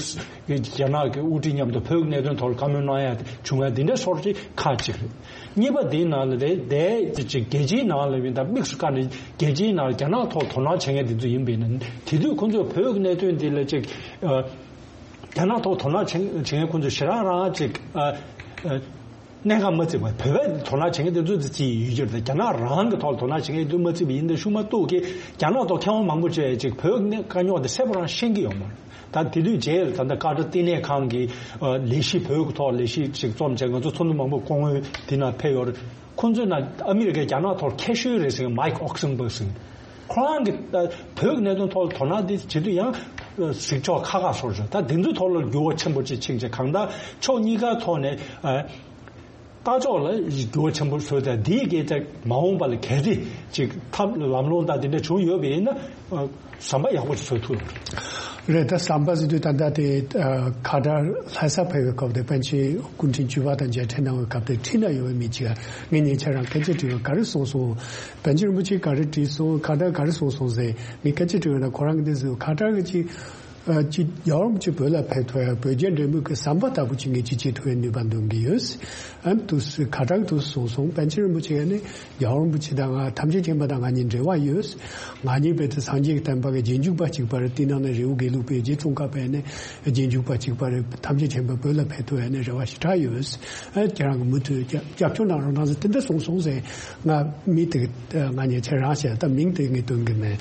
ཀྱི་རྒྱ་ནག་གི་དབུ་ཁྲིད་མཉམ་དུ་བོད་ཀྱི་གནད་དོན་ཐོག་ལ་བཀའ་མོལ་གནང་ཡ་བྱུང་ཡ་འདི་འདྲ་སོར་ཅིག་ཁག་ཅིག་རེད། གཉིས་པ་འདིའི་ནང་ལ་རེད་དེ་ཅིག་རྒྱལ་སྤྱིའི་ནང་ལ་ཡིན་ད་དམིགས་སུ་བཀར་ནས་རྒྱལ་སྤྱིའི་ནང་ལ་རྒྱ་ནག་ཐོག་དོ་སྣང་བྱེད་མཁན་དེ་ཚོ་ཡིན་པ་ཡིན་ན། དེ་དུས་ཁོང་ཚོས་བོད་ཀྱི་གནད་དོན་འདི་ལ་ཅིག་ཨ། རྒྱ་ནག་ཐོག་དོ་སྣང་བྱེད་བྱེད་མཁན་ཁོང་ཚོས་ཞེ་དྲག་རང་ཅིག་ཨ། ཨ། གནད་འགག་མ་བརྩིས་པ། བོད་པས་དོ་སྣང་བྱེད་མཁན་དེ་ཚོ་དེ་ཅིག་ཡོད་ཀྱི་རེད། རྒྱ་ནག་རང་གི་ཐོག་ལ་དོ་སྣང་བྱེད་མཁན་དེ་ཚོ་མ་བརྩིས་པ་ཡིན་ད་ཤུགས་མ་གཏོགས་ཀྱི་རྒྱ་ནག་ཐོག་མཁས་དབང་མང་པོ་བྱས་ཅིག་བོད་ཀྱི་དཀའ་རྙོག་དེ་གསལ་པོ་རང་ཤེས་ཀྱི་ཡོད་མ་རེད། ད་དེ་དུས་རྗེས་ལ་ད་ལྟ་ཀ་ཏར་བསྟི་གནས་ཁང་གི་ཨ་ལས་གཞི་བོད་ཀྱི་ཐོག་ལས་གཞི་ཅིག་རྩོམ་བྱས། ང་ཚོ་ཚོགས་འདུ་མང་པོ་སྐུ་ངོ་དེ་ནང་ཕེབས་ཡོད་རེད། ཁོང་ཚོས་ན་ཨ་མི་རི་ཀའི་རྒྱ་ནག་ཐོག་མཁས་ཤོས་རེད་ཟེར་མཁན་མའིག་ཨོག་སན་བྷག་ཟེར་མཁན། ཁོ་རང་གི་ཨ་བོད་ཀྱི་གནད་དོན་ཐོག་ལ་དོ་སྣང་དེ་བྱེད་དུས་ཡང་ཨ་གཟིགས་ཕྱོགས་ཁ་ཁ་སོར་བྱུང་། ད་དེ་ཚོའི་ཐོག་ལ་འགྱུར་བ་ཆེན་པོ་ཅིག་ཕྱིན་བྱས། གང་ལྟར་ཕྱོགས་གཉིས་ཀའི་ཐོག་ནས་ཨ། ལྟ་ཕྱོགས་ལ་འགྱུར་བ་ཆེན་པོ་བཟོས་ཏེ། འདིའི་གི་ད་མ་འོངས་པ་ལ་གལ་ཏེ་ཅིག་ཐབས་ལམ་ལྷོང་དང་དེ་འདྲ་བྱུང་ཡོད་པ་ཡིན་ན། ཨ། ཟམ་པ་ཡག་པོ་ཞིག་བཟོ་ཐུབ་རེད། ད་ཟམ་པ་ཟེར་དུས་ད་ལྟ་དེ་ཨ་ཁ་ཏར་ལྷ་ས་ཕེབས་པའི་སྐབས་དེ་པཎ་ཆེན་སྐུ་ཕྲེང་བཅུ་པ་དང་མཇལ་འཕྲད་གནང་བའི་སྐབས་དེ་ཁྲིད་ན་ཡོད་པའི་མི་གཅིག་ག་ངས་ཉེ་ཆར་རང་སྐད་ཆ་དྲིས་པ་ག་རེ་གསུངས་སོང་། པཎ་ཆེན་རིན་པོ་ཆེ་ག་རེ་དྲིས་སོང་། ཁ་ཏར་ག་རེ་གསུངས་སོང་ཟེར་ངས་སྐད་ཆ་དྲིས་པ་ན། ཁོ་རང་གིས་འདི་ཟེར། ཁ་ཏར་གི་ཅིག་ཨ་ཅིག་རྒྱལ་བ་རིན་པོ་ཆེ་བོད་ལ་ཕེབས་ཐུབ་ཡ་བོད་རྒྱ་འབྲེལ་མོལ་གྱི་ཟམ་པ་ལྟ་བུ་ཅིག་ངས་ཅིག་བྱེད་ཐུབ་ཡའི་ནུས་པ་འདོན་གྱི་ཡོད། ཨ་ནི་དུས་སུ་ཁ་ཏར་གྱི་དུས་སུ་གསུངས་སོང་། པཎ་ཆེན་རིན་པོ་ཆེ་ནི་རྒྱལ་བ་རིན་པོ་ཆེ་དང་ང་། ཐམས་ཅད་མཁྱེན་པ་དང་ང་གཉིས་འབྲེལ་བ་ཡོད། ང་གཉིས་རྦད་དེ་སངས་རྒྱས་ཀྱི་བསྟན་པ་གི་རྗེས་འཇུག་པ་གཅིག་པ་རེད། དེ་ནང་ནས་རི་བོ་དགེ་ལུགས་པའི་རྗེ་ཙོང་ཁ་པའི་ནི་རྗེས་འཇུག་པ་གཅིག་པ་རེད། ཐམས་ཅད་མཁྱེན་པ་བོད་ལ་ཕེབས་ཐུབ་ཡ་ནི་རེ་བ་ཞེ་དྲག་ཡོད། ཨ་ཁྱེད་རང་གིས་མུ་མཐུད་རྒྱབ་རྒྱབ་སྐྱོར་གནང་རོགས་གནང་ཟེར་དེ་འདྲ་གསུངས་སོང་ཟེར། ང་མི་དེ་ང་ཉེ་ཆར་རང་བཤད། ད་མིང་དེ་ངས་འདོན་གྱི་མེད།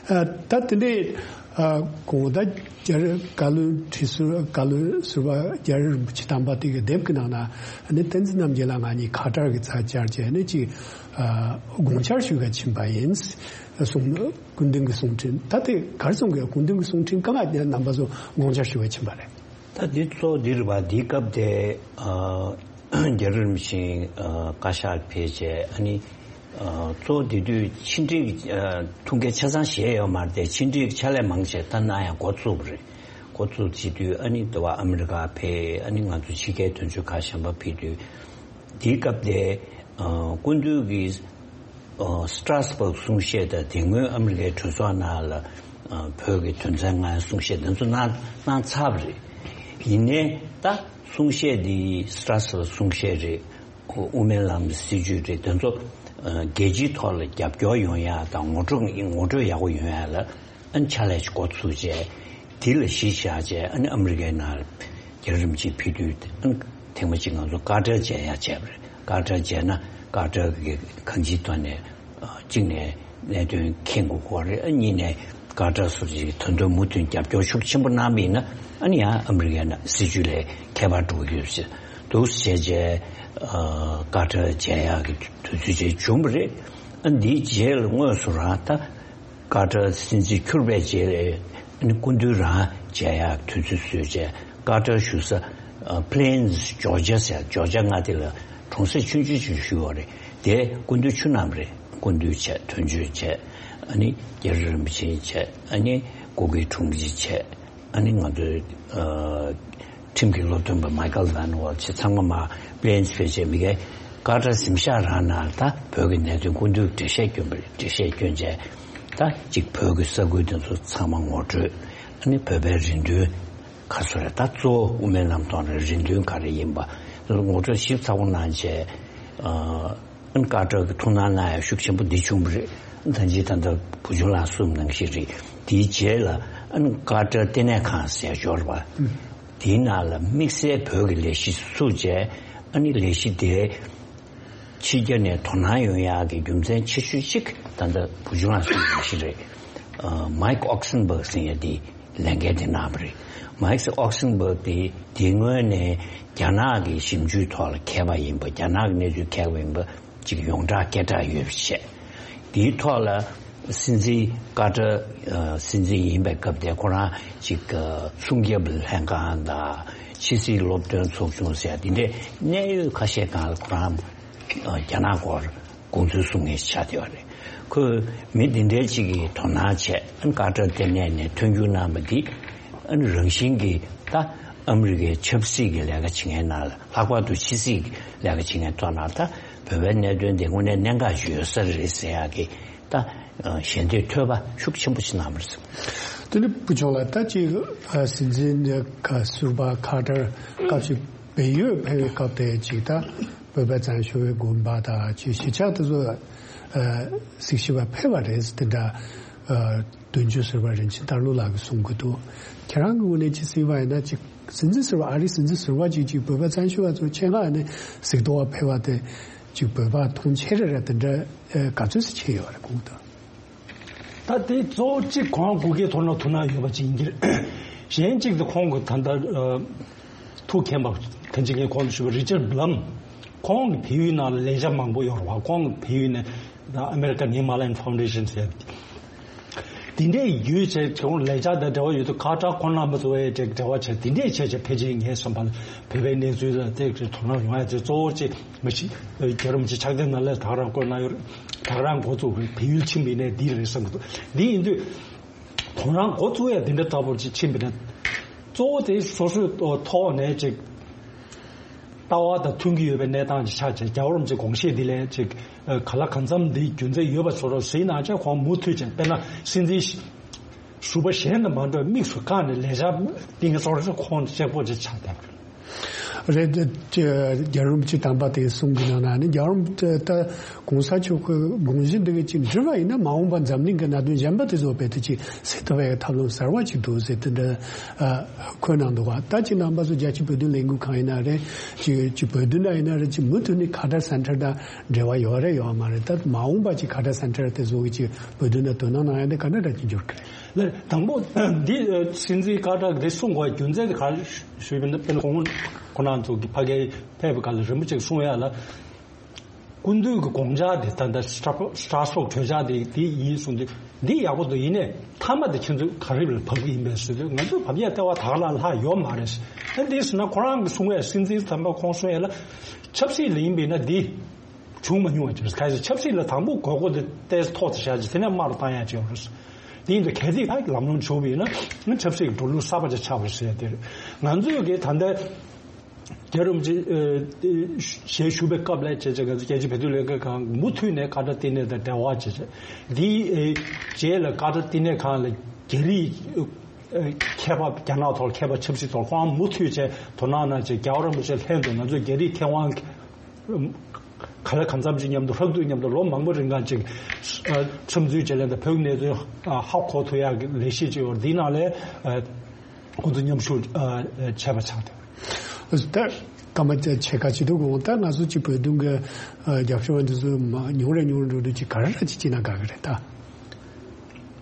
ཨ་ད་དེ་འདྲའི། ཨ་གོང་ད་རྒྱལ་བཀའ་བློན་ཁྲི་ཟུར། བཀའ་བློན་ཟུར་པ་རྒྱལ་བ་རིན་པོ་ཆེ་དམ་པ་དེ་གི་དེབ་ཀྱི་ནང་ན་ནི་བསྟན་འཛིན་རྣམ་རྒྱལ་ལགས་ང་གཉིས་ཁ་ཏར་གྱི་རྩར་བཅར་བྱས་ནས་ཅིག་ཨ་དགོངས་འཆར་ཞུ་ག་ཕྱིན་པ་ཡིན་གསུངས། སྐུ་མདུན་གྱི་གསུང་འཕྲིན་ད་དེ་ག་རེ་གསུང་གི། སྐུ་མདུན་གྱི་གསུང་འཕྲིན་གང་ང་རྣམ་པ་ཚོ་དགོངས་འཆར་ཞུ་ག་ཕྱིན་པ་རེད། ད་འདི་གཙོ་འདི་རེད་པ། འདིའི་སྐབས་དེ་ཨ་རྒྱལ་བ་རིན་པོ་ཆེ་ཨ་བཀའ་ཤག་ཕེབས་བྱས། ཨ་ནི་ཨ་གཙོ་བོ་དེ་དུས་ཕྱི་འབྲེལ་གྱི་ཨ་ཐུགས་འགན་ཆ་ཚང་བཞེས་ཡོད་མ་རེད་དེ། ཕྱི་འབྲེལ་གྱི་ཕྱག་ལས་མང་ཆེ་ད་གནང་ཡང་འགོ་བཙུགས་པ་རེད། འགོ་བཙུགས་བྱེད་དུས་ཨ་ནི་འདི་བ་ཨ་མི་རི་ཀ་ཕེབས། ཨ་ནི་ང་ཚོ་ཕྱི་རྒྱལ་དོན་གཅོད་ཁག་གཞན་པ་ཕེབས་དུས། དེའི་སྐབས་དེ་ཨ་སྐུ་མདུན་གྱིས་ཨ་སི་ཏྲ་སི་བྷག་གསུང་བཤད་དང་། དེ་སྔོན་ཨ་མི་རི་ཀའི་གྲོས་ཚོགས་ནང་ལ་ཨ་བོད་ཀྱི་དོན་ཚན་ལྔའི་གསུང་བཤད་དེ་ཚོ་གནང་གནང་ཚར་བ་རེད། ཡིན་ནའི་ད་གསུང་བཤད་འདི་སི་ཏྲ་སི་བྷག་གསུང་བཤད་རེད། དབུ་མའི་ལམ་གྱི་སྲིད་བྱུས་རེད། དེ་ཚོ་ཨ་རྒྱལ་སྤྱིའི་ཐོག་ལ་རྒྱབ་སྐྱོར་ཡོང་ཡ་དང་། ངོ་སྤྲོད་ངོ་སྤྲོད་ཡག་པོ་ཡོང་ཡ་ལ་ཨ་ནི་ཕྱག་ལས་ཅིག་འགོ་ཚུགས་བྱས། དེ་ལ་གཞི་བཞག་བྱས་ཨ་ནི་ཨ་མི་རི་ཀའི་ནང་ལ་རྒྱལ་བ་རིན་པོ་ཆེ་ཕེབས་དུས་ཨ་ནི་ཐེངས་མ་གཅིག་ང་ཚོ་ཀ་ཏར་མཇལ་ཡ་བྱས་པ་རེད། ཀ་ཏར་མཇལ་ན་ཀ་ཏར་གྱི་གང་ཅིའི་ཐོག་ནས་ཨ་གཅིག་ནས་གནད་དོན་མཁྱེན་དགོས་ཀྱི་རེད། ཨ་གཉིས་ནས་ཀ་ཏར་སོགས་ཀྱིས་ད་དུང་མུ་མཐུད་རྒྱབ་སྐྱོར་ཤུགས་ཆེན་པོ་གནང་བ་ཡིན་ན། ཨ་ནི་ཡང་ཨ་མི་རི་ཀའི་ནང་སྲིད་བྱུས་ལས་ཁྱད་པར་འགྲོ་གི་ཡོད་ཟེར་འདུག་ཟེར་བྱས། ཨ་ཀ་ཏར་མཇལ་ཡག་གི་དུས་ཚོད་ཅིག་བྱུང་བ་རེད། ཨ་འདིའི་རྗེས་ལ་དངོས་སུ་རང་ད་ཀ་ཏར་སྲིད་འཛིན་འཁྱུར་བའི་རྗེས་ལ་ཨ་ནི་སྐུ་མདུན་རང་མཇལ་ཡག་དུས་ཚོད་བཟོས་བྱས། ཀ་ཏར་བཞུགས་ས་ཨ་པི་ལེན་ཇོར་ཇ་ཟེར། ཇོར་ཇ་མངའ་སྡེ་ལ་གྲོང་གསེབ་ཆུང་ཆུང་ཅིག་བཞུགས་ཡོད་རེད། དེ་སྐུ་མདུན་ཆུ་བསྣམས་རེད། སྐུ་མདུན་བྱས། དོན་གཅོད་བྱས། ཨ་ནི་རྒྱལ་བ་རིན་པོ་ཆེ་བྱས། ཨ་ནི་སྐུ་སྒེར་དྲུང་ཆེ་བྱས། ཨ་ནི་ང་ཚོའི་ཨ་ཁྲིམས་ཀྱི་སློབ་སྟོན་པ་མའི་ཀལ་ཝན་ཝལ་བྱས། ཚང་མ་མར་པི་ལེན་ཇི་ཕེབས་བྱས། མི་ཁའི་ ཀ་ཏར་གཟིམ་ཤག་རང་ནང་ད་བོད་ཀྱི་གནད་དོན་སྐུ་མདུན་འགྲེལ་བཤད་བསྐྱོན་པ་རེད། འགྲེལ་བཤད་བསྐྱོན་བྱས་ད་ཅིག་བོད་ཀྱི་ས་ཁུལ་དེ་ཚོ་ཚང་མ་ངོ་སྤྲོད། ཨ་ནི་བོད་པའི་རེ་འདུན་ག་ཚོད་རེད། ད་གཙོ་བོ་དབུ་མའི་ལམ་ཐོག་ནས་རེ་འདུན་ག་རེ་ཡིན་པ་ངོ་སྤྲོད་ཞིབ་ཚགས་པོ་གནང་བྱས། ཨ་ནི་ཀ་ཏར་གྱི་ཐུགས་སྣང་གནང་ཡ་ཤུགས་ཆེན་པོ་འདི་བྱུང་བ་རེད། ད་ཅི་ད་ལྟ་བུ་ཆུང་ལགས་གསུངས་ནང་བཞིན་རེད། དེའི་རྗེས་ལ་ཨ་ནི་ཀ་ཏར་ལྟེ་གནས་ཁང་ཟེར་ཡ་ཡོད་རེད་པ། དེའི་ནང་ལ་དམིགས་བསལ་བོད་ཀྱི་ལས་གཞི་བཙུགས་བྱས། ཨ་ནི་ལས་གཞི་དེ་ཕྱི་རྒྱལ་ནས་དོ་སྣང་ཡོང་ཡག་གི་རྒྱུ་མཚན་ཆེ་ཤོས་གཅིག་ད་ལྟ་བུ་ཆུང་ལགས་གསུངས་པ་ཞིག་རེད། ཨ། མའིག་ཨོག་སན་བྷག་ཟེར་ཡ་དེ་ལས་འགན་དེ་གནང་བ་རེད། མའིག་ཨོག་སན་བྷག་དེ་དེ་སྔོན་ནས་རྒྱ་ནག་གི་ཞིབ་འཇུག་ཐོག་ལ་མཁས་པ་ཡིན་པ། རྒྱ་ནག་གི་གནས་ཚུལ་མཁས་པ་ཡིན་པ་ཅིག་ཡོངས་གྲགས་སྐད་གྲགས་ཡོད་པ་བྱས། དེའི་ཐོག་ལ་སྲིད་འཛིན་ཀ་ཏར་ཨ། སྲིད་འཛིན་ཡིན་པའི་སྐབས་དེ་ཁོ་རང་ཅིག་ཨ། སྲུང་སྐྱོབ་ལྷན་ཁང་དང་ཕྱི་སྲིད་སློབ་སྟོན་ཚོགས་ཆུང་ཟེར་དེ་འདྲའི་གནད་ཡོད་ཁ་ཤས་སྒང་ལ་ཁོ་རང་ཨ། རྒྱ་ནག་སྐོར་དགོངས་ཚུལ་གསུང་མཁན་ཆགས་བསྡད་པ་རེད། ཁོས་མི་འདི་འདྲའི་ཅིག་གིས་དོ་སྣང་བྱས། ཨ་ནི་ཀ་ཏར་ལྟེ་གནས་ནས་མཐུན་འགྱུར་གནང་བ་འདི་ཨ་ནི་རང་བཞིན་གྱིས་ད་ཨ་མི་རི་ཀའི་ཆབ་སྲིད་ཀྱི་ལས་ཀ་བྱེད་མཁན་ནང་ལ། ལྷག་པར་དུ་ཕྱི་སྲིད་ཀྱི་ལས་ཀ་བྱེད་མཁན་ཐོག་ནང་ད་བོད་པའི་གནད་དོན་དེ་དངོས་གནས་གནད་འགག་ཞིག་ཡོད་ས་རེད་ཟེར་ཡག་གི་ད་ཞལ་འདེབས་ཐོས་པ་ཤུགས་ཆེན་པོ་ཞིག་གནང་བ་རེད། དེ་ནི་བུ་ཆུང་ལགས། ད་ཅིག་ཨ། སྲིད་འཛིན་ཁ་ཟུར་པ་ཁ་ཏར་སྐབས་ཤིག་བལ་ཡུལ་ཕེབས་པའི་སྐབས་དེ་ཅིག་ད་བོད་པ་བཙན་བྱོལ་བའི་དགོན་པ་དང་ཅིག་གཞིས་ཆགས་དེ་ཚོ་ཨ། གཟིགས་ཞིབ་པ་ཕེབས་པ་རེད། དེ་འདྲ་ཨ། དོན་གཅོད་ཟུར་པ་རིན་ཆེན་དར་ལོ་ལགས་ཀྱིས་གསུང་གི་འདུག་ཁྱེད་རང་གི་ངོས་ནས་ཅིག་གཟིགས་པ་ཡིན་ན། ཅིག་སྲིད་འཛིན་ཟུར་པ། ཨ་རིའི་སྲིད་འཛིན་ཟུར་པ་ཅིག་ཅིག་བོད་པ་བཙན་བྱོལ་བ་ཚོ་ཆེད་མངགས་ནས་གཟིགས་རྟོག་པ་ཕེབས་པ་དེ་ཅིག་བོད་པ་མཐོང་ཆེ་རེ་རེ་དེ་འདྲ་ཨ། ག་ཚོད་ཙམ་བྱས་ཡོད་རེད་གོང་དུ། ད་དེ་གཙོ་བོ་གཅིག་ཁོང་སྐུ་སྒེར་ཐོག་ནས་ཐུགས་སྣང་ཡོད་པ་ཅིག་ཡིན་གྱི་རེད། གཞན་གཅིག་དེ་ཁོང་གི་ད་ལྟ་ཨ། ཐུགས་མཁྱེན་པ་གང་ཅི་ངས་གོང་དུ་ཞུས་པ་རི་ཅར་བྷི་ལམ། ཁོང་གི་བལ་ཡུལ་ནང་ལ་ལས་བྱ་མང་པོ་ཡོད་རེད་བ། ཁོང་གི་བལ་ཡུལ་ནས་ད་American Himalayan Foundation ཟེར་དེ་འདྲའི་ཡོད་བྱས། ཁོང་ལས་བྱ་དང་འབྲེལ་བ་ཡོད་དུས་ཁ་ཏར་ཁོང་རྣམ་པ་ཚོ་ཨེ་འབྲེལ་བ་བྱས། དེ་འདྲས་བྱས་བྱས་ཕལ་ཆེར་ངའི་བསམ་པ་ལ་བོད་པའི་གནས་ཚུལ་ལ་དེ་དོ་སྣང་ཡོང་ཡ་དེ་གཙོ་བོ་ཅིག་མ་གཞི་རྒྱལ་བ་རིན་པོ་ཆེ་ཕྱག་དེབ་ནང་ལ་ད་ག་རང་བཀོད་གནང་ཡོད་རེད། ད་ག་རང་འགོ་བཙུགས་པའི་བལ་ཡུལ་ཕྱིན་པ་ཡིན་ནའི་འདི་རེད་བསམ་གྱི་འདུག་འདི་ཡིན་དུས། ཁོང་རང་འགོ་བཙུགས་ཡ་འདི་འདྲ་ལྟ་བུར་ཅིག་ཕྱིན་པ་ཡིན་ན། གཙོ་བོ་དེ་སོ་སོའི་ཐོག་ནས་ཅིག་ལྟ་བ་དང་མཐུན་གྱི་ཡོད་པའི་གནས་སྟངས་ཅིག་ཆགས་བྱས། རྒྱལ་བ་རིན་པོ་ཆེ་དགོངས་བཞེད་འདི་ལས་ཅིག་ཨ། ག་ལ་གང་འཚམ་འདི་རྒྱུ་མཚན་ཡོད་པ་བཟོ་འདྲ་གཟིགས་གནང་བྱས། ཁོང་མུ་མཐུད་བྱས། དཔེར་ན་སྲིད་འཛིན་ཟུར་པ་གཞན་དང་མ་འདྲ་བའི་དམིགས་སུ་བཀར་ནས་ལས་བྱ་གཏིང་ཟབ་ཁོང་གཅིག་པོ་ཅིག་ཆགས་བསྡད་པ་རེད། རེད། རྒྱལ་བ་རིན་པོ་ཆེ་དམ་པ་དེའི་གསུང་གི་ནང་ན་ནི། རྒྱལ་བ་རིན་པོ་ཆེ་ད་གོང་ས་མཆོག་གི་དགོངས་གཞི་འདི་ག་ཅིག་འགྲུབ་པ་ཡིན་ན། མ་འོངས་པ་འཛམ་གླིང་གི་གནད་དོན་གཞན་པ་དེ་ཚོ་རྦད་དེ་ཅིག་སེལ་ཐུབ་པའི་ཐབས་ལམ་གསར་བ་ཅིག་འདུག་ཟེར་དེ་འདྲ་ཨ། འཁོད་གནང་འདུག་བ། ད་ཅིག་རྣམ་པ་ཚོ་རྒྱལ་སྤྱིའི་བོད་དོན་ལས་འགུལ་ཁང་ཡིན་ན་རེད། ཅིག་ཅིག་བོད་དོན་ན་ཡིན་ན་རེད། ཅིག་མུ་མཐུད་ནས་ཁ་ཏར་སེན་ཊར་དང་འབྲེལ་བ་ཡོད་རེད་ཡོད་མ་རེད། ད་མ་འོངས་པ་ཅིག་ཁ་ཏར་སེན་ཊར་དེ་ཚོ་གི་ཅིག་བོད་དོན་ལ་དོ་སྣང་གནང་ཡ་དེ་ག་འདྲ་འདྲ་ཅིག་འགྱུར་གི་རེད། ལགས། དང་པོ་འདི་སྲིད་འཛིན་ཀ་ཏར་གྱིས་གསུང་དགོས་རྒྱུ་མཚན་དེ་ག་རེ་ཞུས་པ་ཡིན་ན། དཔེར་ན་ཁོང་ཁོང་རྣམ་ཚོ་གི་ཕ་གིར་ཕེབས་པའི་སྐབས་ལ་རིན་པོ་ཆེས་གསུང་ཡ་ལ། སྐུ་མདུན་གྱི་དགོངས་འཆར་དེ་ད་ལྟ་སི་ཊྲ་སི་ཊྲ་སྦུག་གྲོས་འཆར་དེ་དེ་ཡིན་གསུངས་དུས། འདི་ཡག་པོ་འདུག་ཡིན་ནའི་མཐའ་མ་དེ་ཁྱེད་ཚོས་ག་རེ་ལ་བབས་ཀྱི་ཡིན་པས་ཟེར་དུས། ང་ཚོས་བབས་ཡ་ལྟ་བ་ད་ག་ལ་ལྷག་ཡོད་མ་རེད། ཨ། འདི་ཟེར་ན་ཁོ་རང་གིས་གསུང་ཡ། སྲིད་འཛིན་དམ་པ་ཁོང་གསུང་ཡ་ལ། ཆབ་སྲིད་ལ་ཡིན་པས་ན་འདི་བྱུང་མ་མྱོང་བ་ཅིག་རེད། གལ་སྲིད་ཆབ་སྲིད་ལ་དང་པོ་དགོས་མཁོ་དེ་ཏོག་ཙམ་ཐོག་ཏུ་བཞག་ཅིག་དེ་ནས་དམའ་རུ་བཏང་ཡ་ཅིག་ཡོད་རེད། དེ་ཡིན་དུས་གལ་སྲིད་ད་ལམ་ལྷོང་བྱུང་བ་ཡིན་ན་ཆབ་སྲིད་ཀྱི་འགྲོ་ལུགས་གསར་པ་ཅིག་ཆགས་པ་རེད་ཟེར་ཡ་དེ་རེད། ང་ཚོས་གི་ད་ལྟ་རྒྱལ་བ་རིན་པོ་ཆེ་ཨ། ཞལ་བཞུགས་པའི་སྐབས་ལ་བྱས་བྱས། ང་ཚོ་རྒྱལ་སྤྱིའི་བོད་དོན་ལས་འགུལ་ཁང་མུ་མཐུད་ནས་ཁ་ཏར་ལྟེ་གནས་དང་འབྲེལ་བ་བྱས་བྱས། འདིའི་ཨ། རྗེས་ལ་ཁ་ཏར་ལྟེ་གནས་ཁང་ལ་རྒྱ་རིགས་ཨ། མཁས་པ། རྒྱ་ནག་ཐོག་མཁས་པ། ཆབ་སྲིད་ཐོག་ཁོང་མུ་མཐུད་བྱས་དོ་སྣང་གནང་བྱས། རྒྱལ་བ་རིན་པོ་ཆེ་ལྷན་དུ་ང་ཚོས་རྒྱ་རིགས་མཁས་དབང་ག་ལ་གང་འཚམ་ཅིག་མཉམ་དུ། ལྷག་ཏུ་མཉམ་དུ་ལོ་མང་པོ་རིང་གང་ཅིག་ཨ། འཚམས་འདྲི་བྱས། ལན་དང་བོད་ཀྱི་གནས་ཚུལ་ཨ། ཧ་གོ་ཐུབ་ཡག་གི་ལས་གཞི་ཅིག་ཡོད། འདིའི་ནང་ལ་ཨ། ཁོང་ཚོ་མཉམ་ཞུགས་ཨ། བྱས་པ་ཆགས་འདུག་ད་སྐར་མ་ཕྱེད་ཀ་ཅིག་འདུག་གོ། ད་ང་ཚོ་ཅིག་བོད་དོན་གྱི་ཨ། རྒྱབ་སྐྱོར་བ་འདི་ཚོ་མ་ཉུང་རེ་ཉུང་རེ་འགྲོ་དུས་ཅིག་ག་རེ་ར་ཅིག་བྱེད་ན་དགའ་གི་རེད་ད།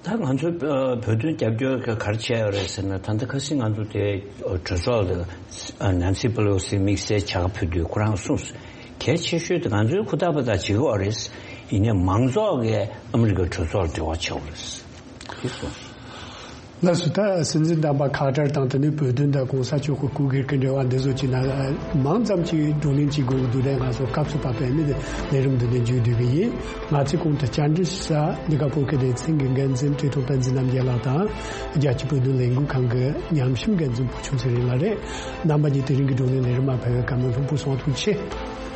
ད་ང་ཚོ་ཨ། བོད་དོན་རྒྱབ་སྐྱོར་ག་རེ་བྱས་ཡོད་རེད་ཟེར་ན། ད་ལྟ་ཁ་སང་ང་ཚོ་དེ་གྲོས་ཚོགས་ལ་ཨ། ནན་སི་པེ་ལོ་སི་དམིགས་བསལ་བྱ་དགའ་ཕུལ་དུས་ཁོ་རང་གསུངས། གལ་ཆེ་ཤོས་དེ་ང་ཚོའི་ཧུར་ཐག་འབད་ཐག་བྱེད་དགོས་རེད། ཡིན་ནའི་མང་ཚོགས་ཀྱིས་ཨ་མི་རི་ཀའི་གྲོས་ཚོགས་ལ་འབྲེལ་བ་བྱེད་དགོས་རེད། དེ་གསུངས། ལགས་སོ། ད་སྲིད་འཛིན་དམ་པ་ཁ་ཏར་དང་། དེ་ནས་བོད་དོན་དང་གོང་ས་མཆོག་གི་སྐུ་སྒེར་གྱི་འབྲེལ་བ་འདི་ཚོ་བྱས་ན་མང་ཙམ་ཅིག་བགྲོ་གླེང་བྱེད་དགོས་ཀྱི་འདུག་ལས། ང་ཚོ་སྐབས་སུ་བབས་པའི་ནི་ལས་རིམ་འདི་ནས་མཇུག་བསྡུ་གི་ཡིན། ང་ཚོའི་གོང་དུ་བཅར་འདྲི་ཞུ་ས་འདི་ག་བོད་ཁུལ་སྡེ་ཚན་གྱི་འགན་འཛིན་བཀྲས་མཐོང་བསྟན་འཛིན་རྣམ་རྒྱལ་ལགས་དང་། རྒྱལ་སྤྱིའི་བོད་དོན་ལས་འགུལ་ཁང་གི་ཉམས་ཞིབ་འགན་འཛིན་བུ་ཆུང་ཚེ་རིང་ལགས་རེད། རྣམ་པ་གཉིས་དེ་རིང་གི་བགྲོ་གླེང་ལས་རིམ་མ་ཕེབས་པའི་བཀའ་མོལ་ལྷུག་པོ་སོང་བ་ཐུགས་རྗེ་ཆེ།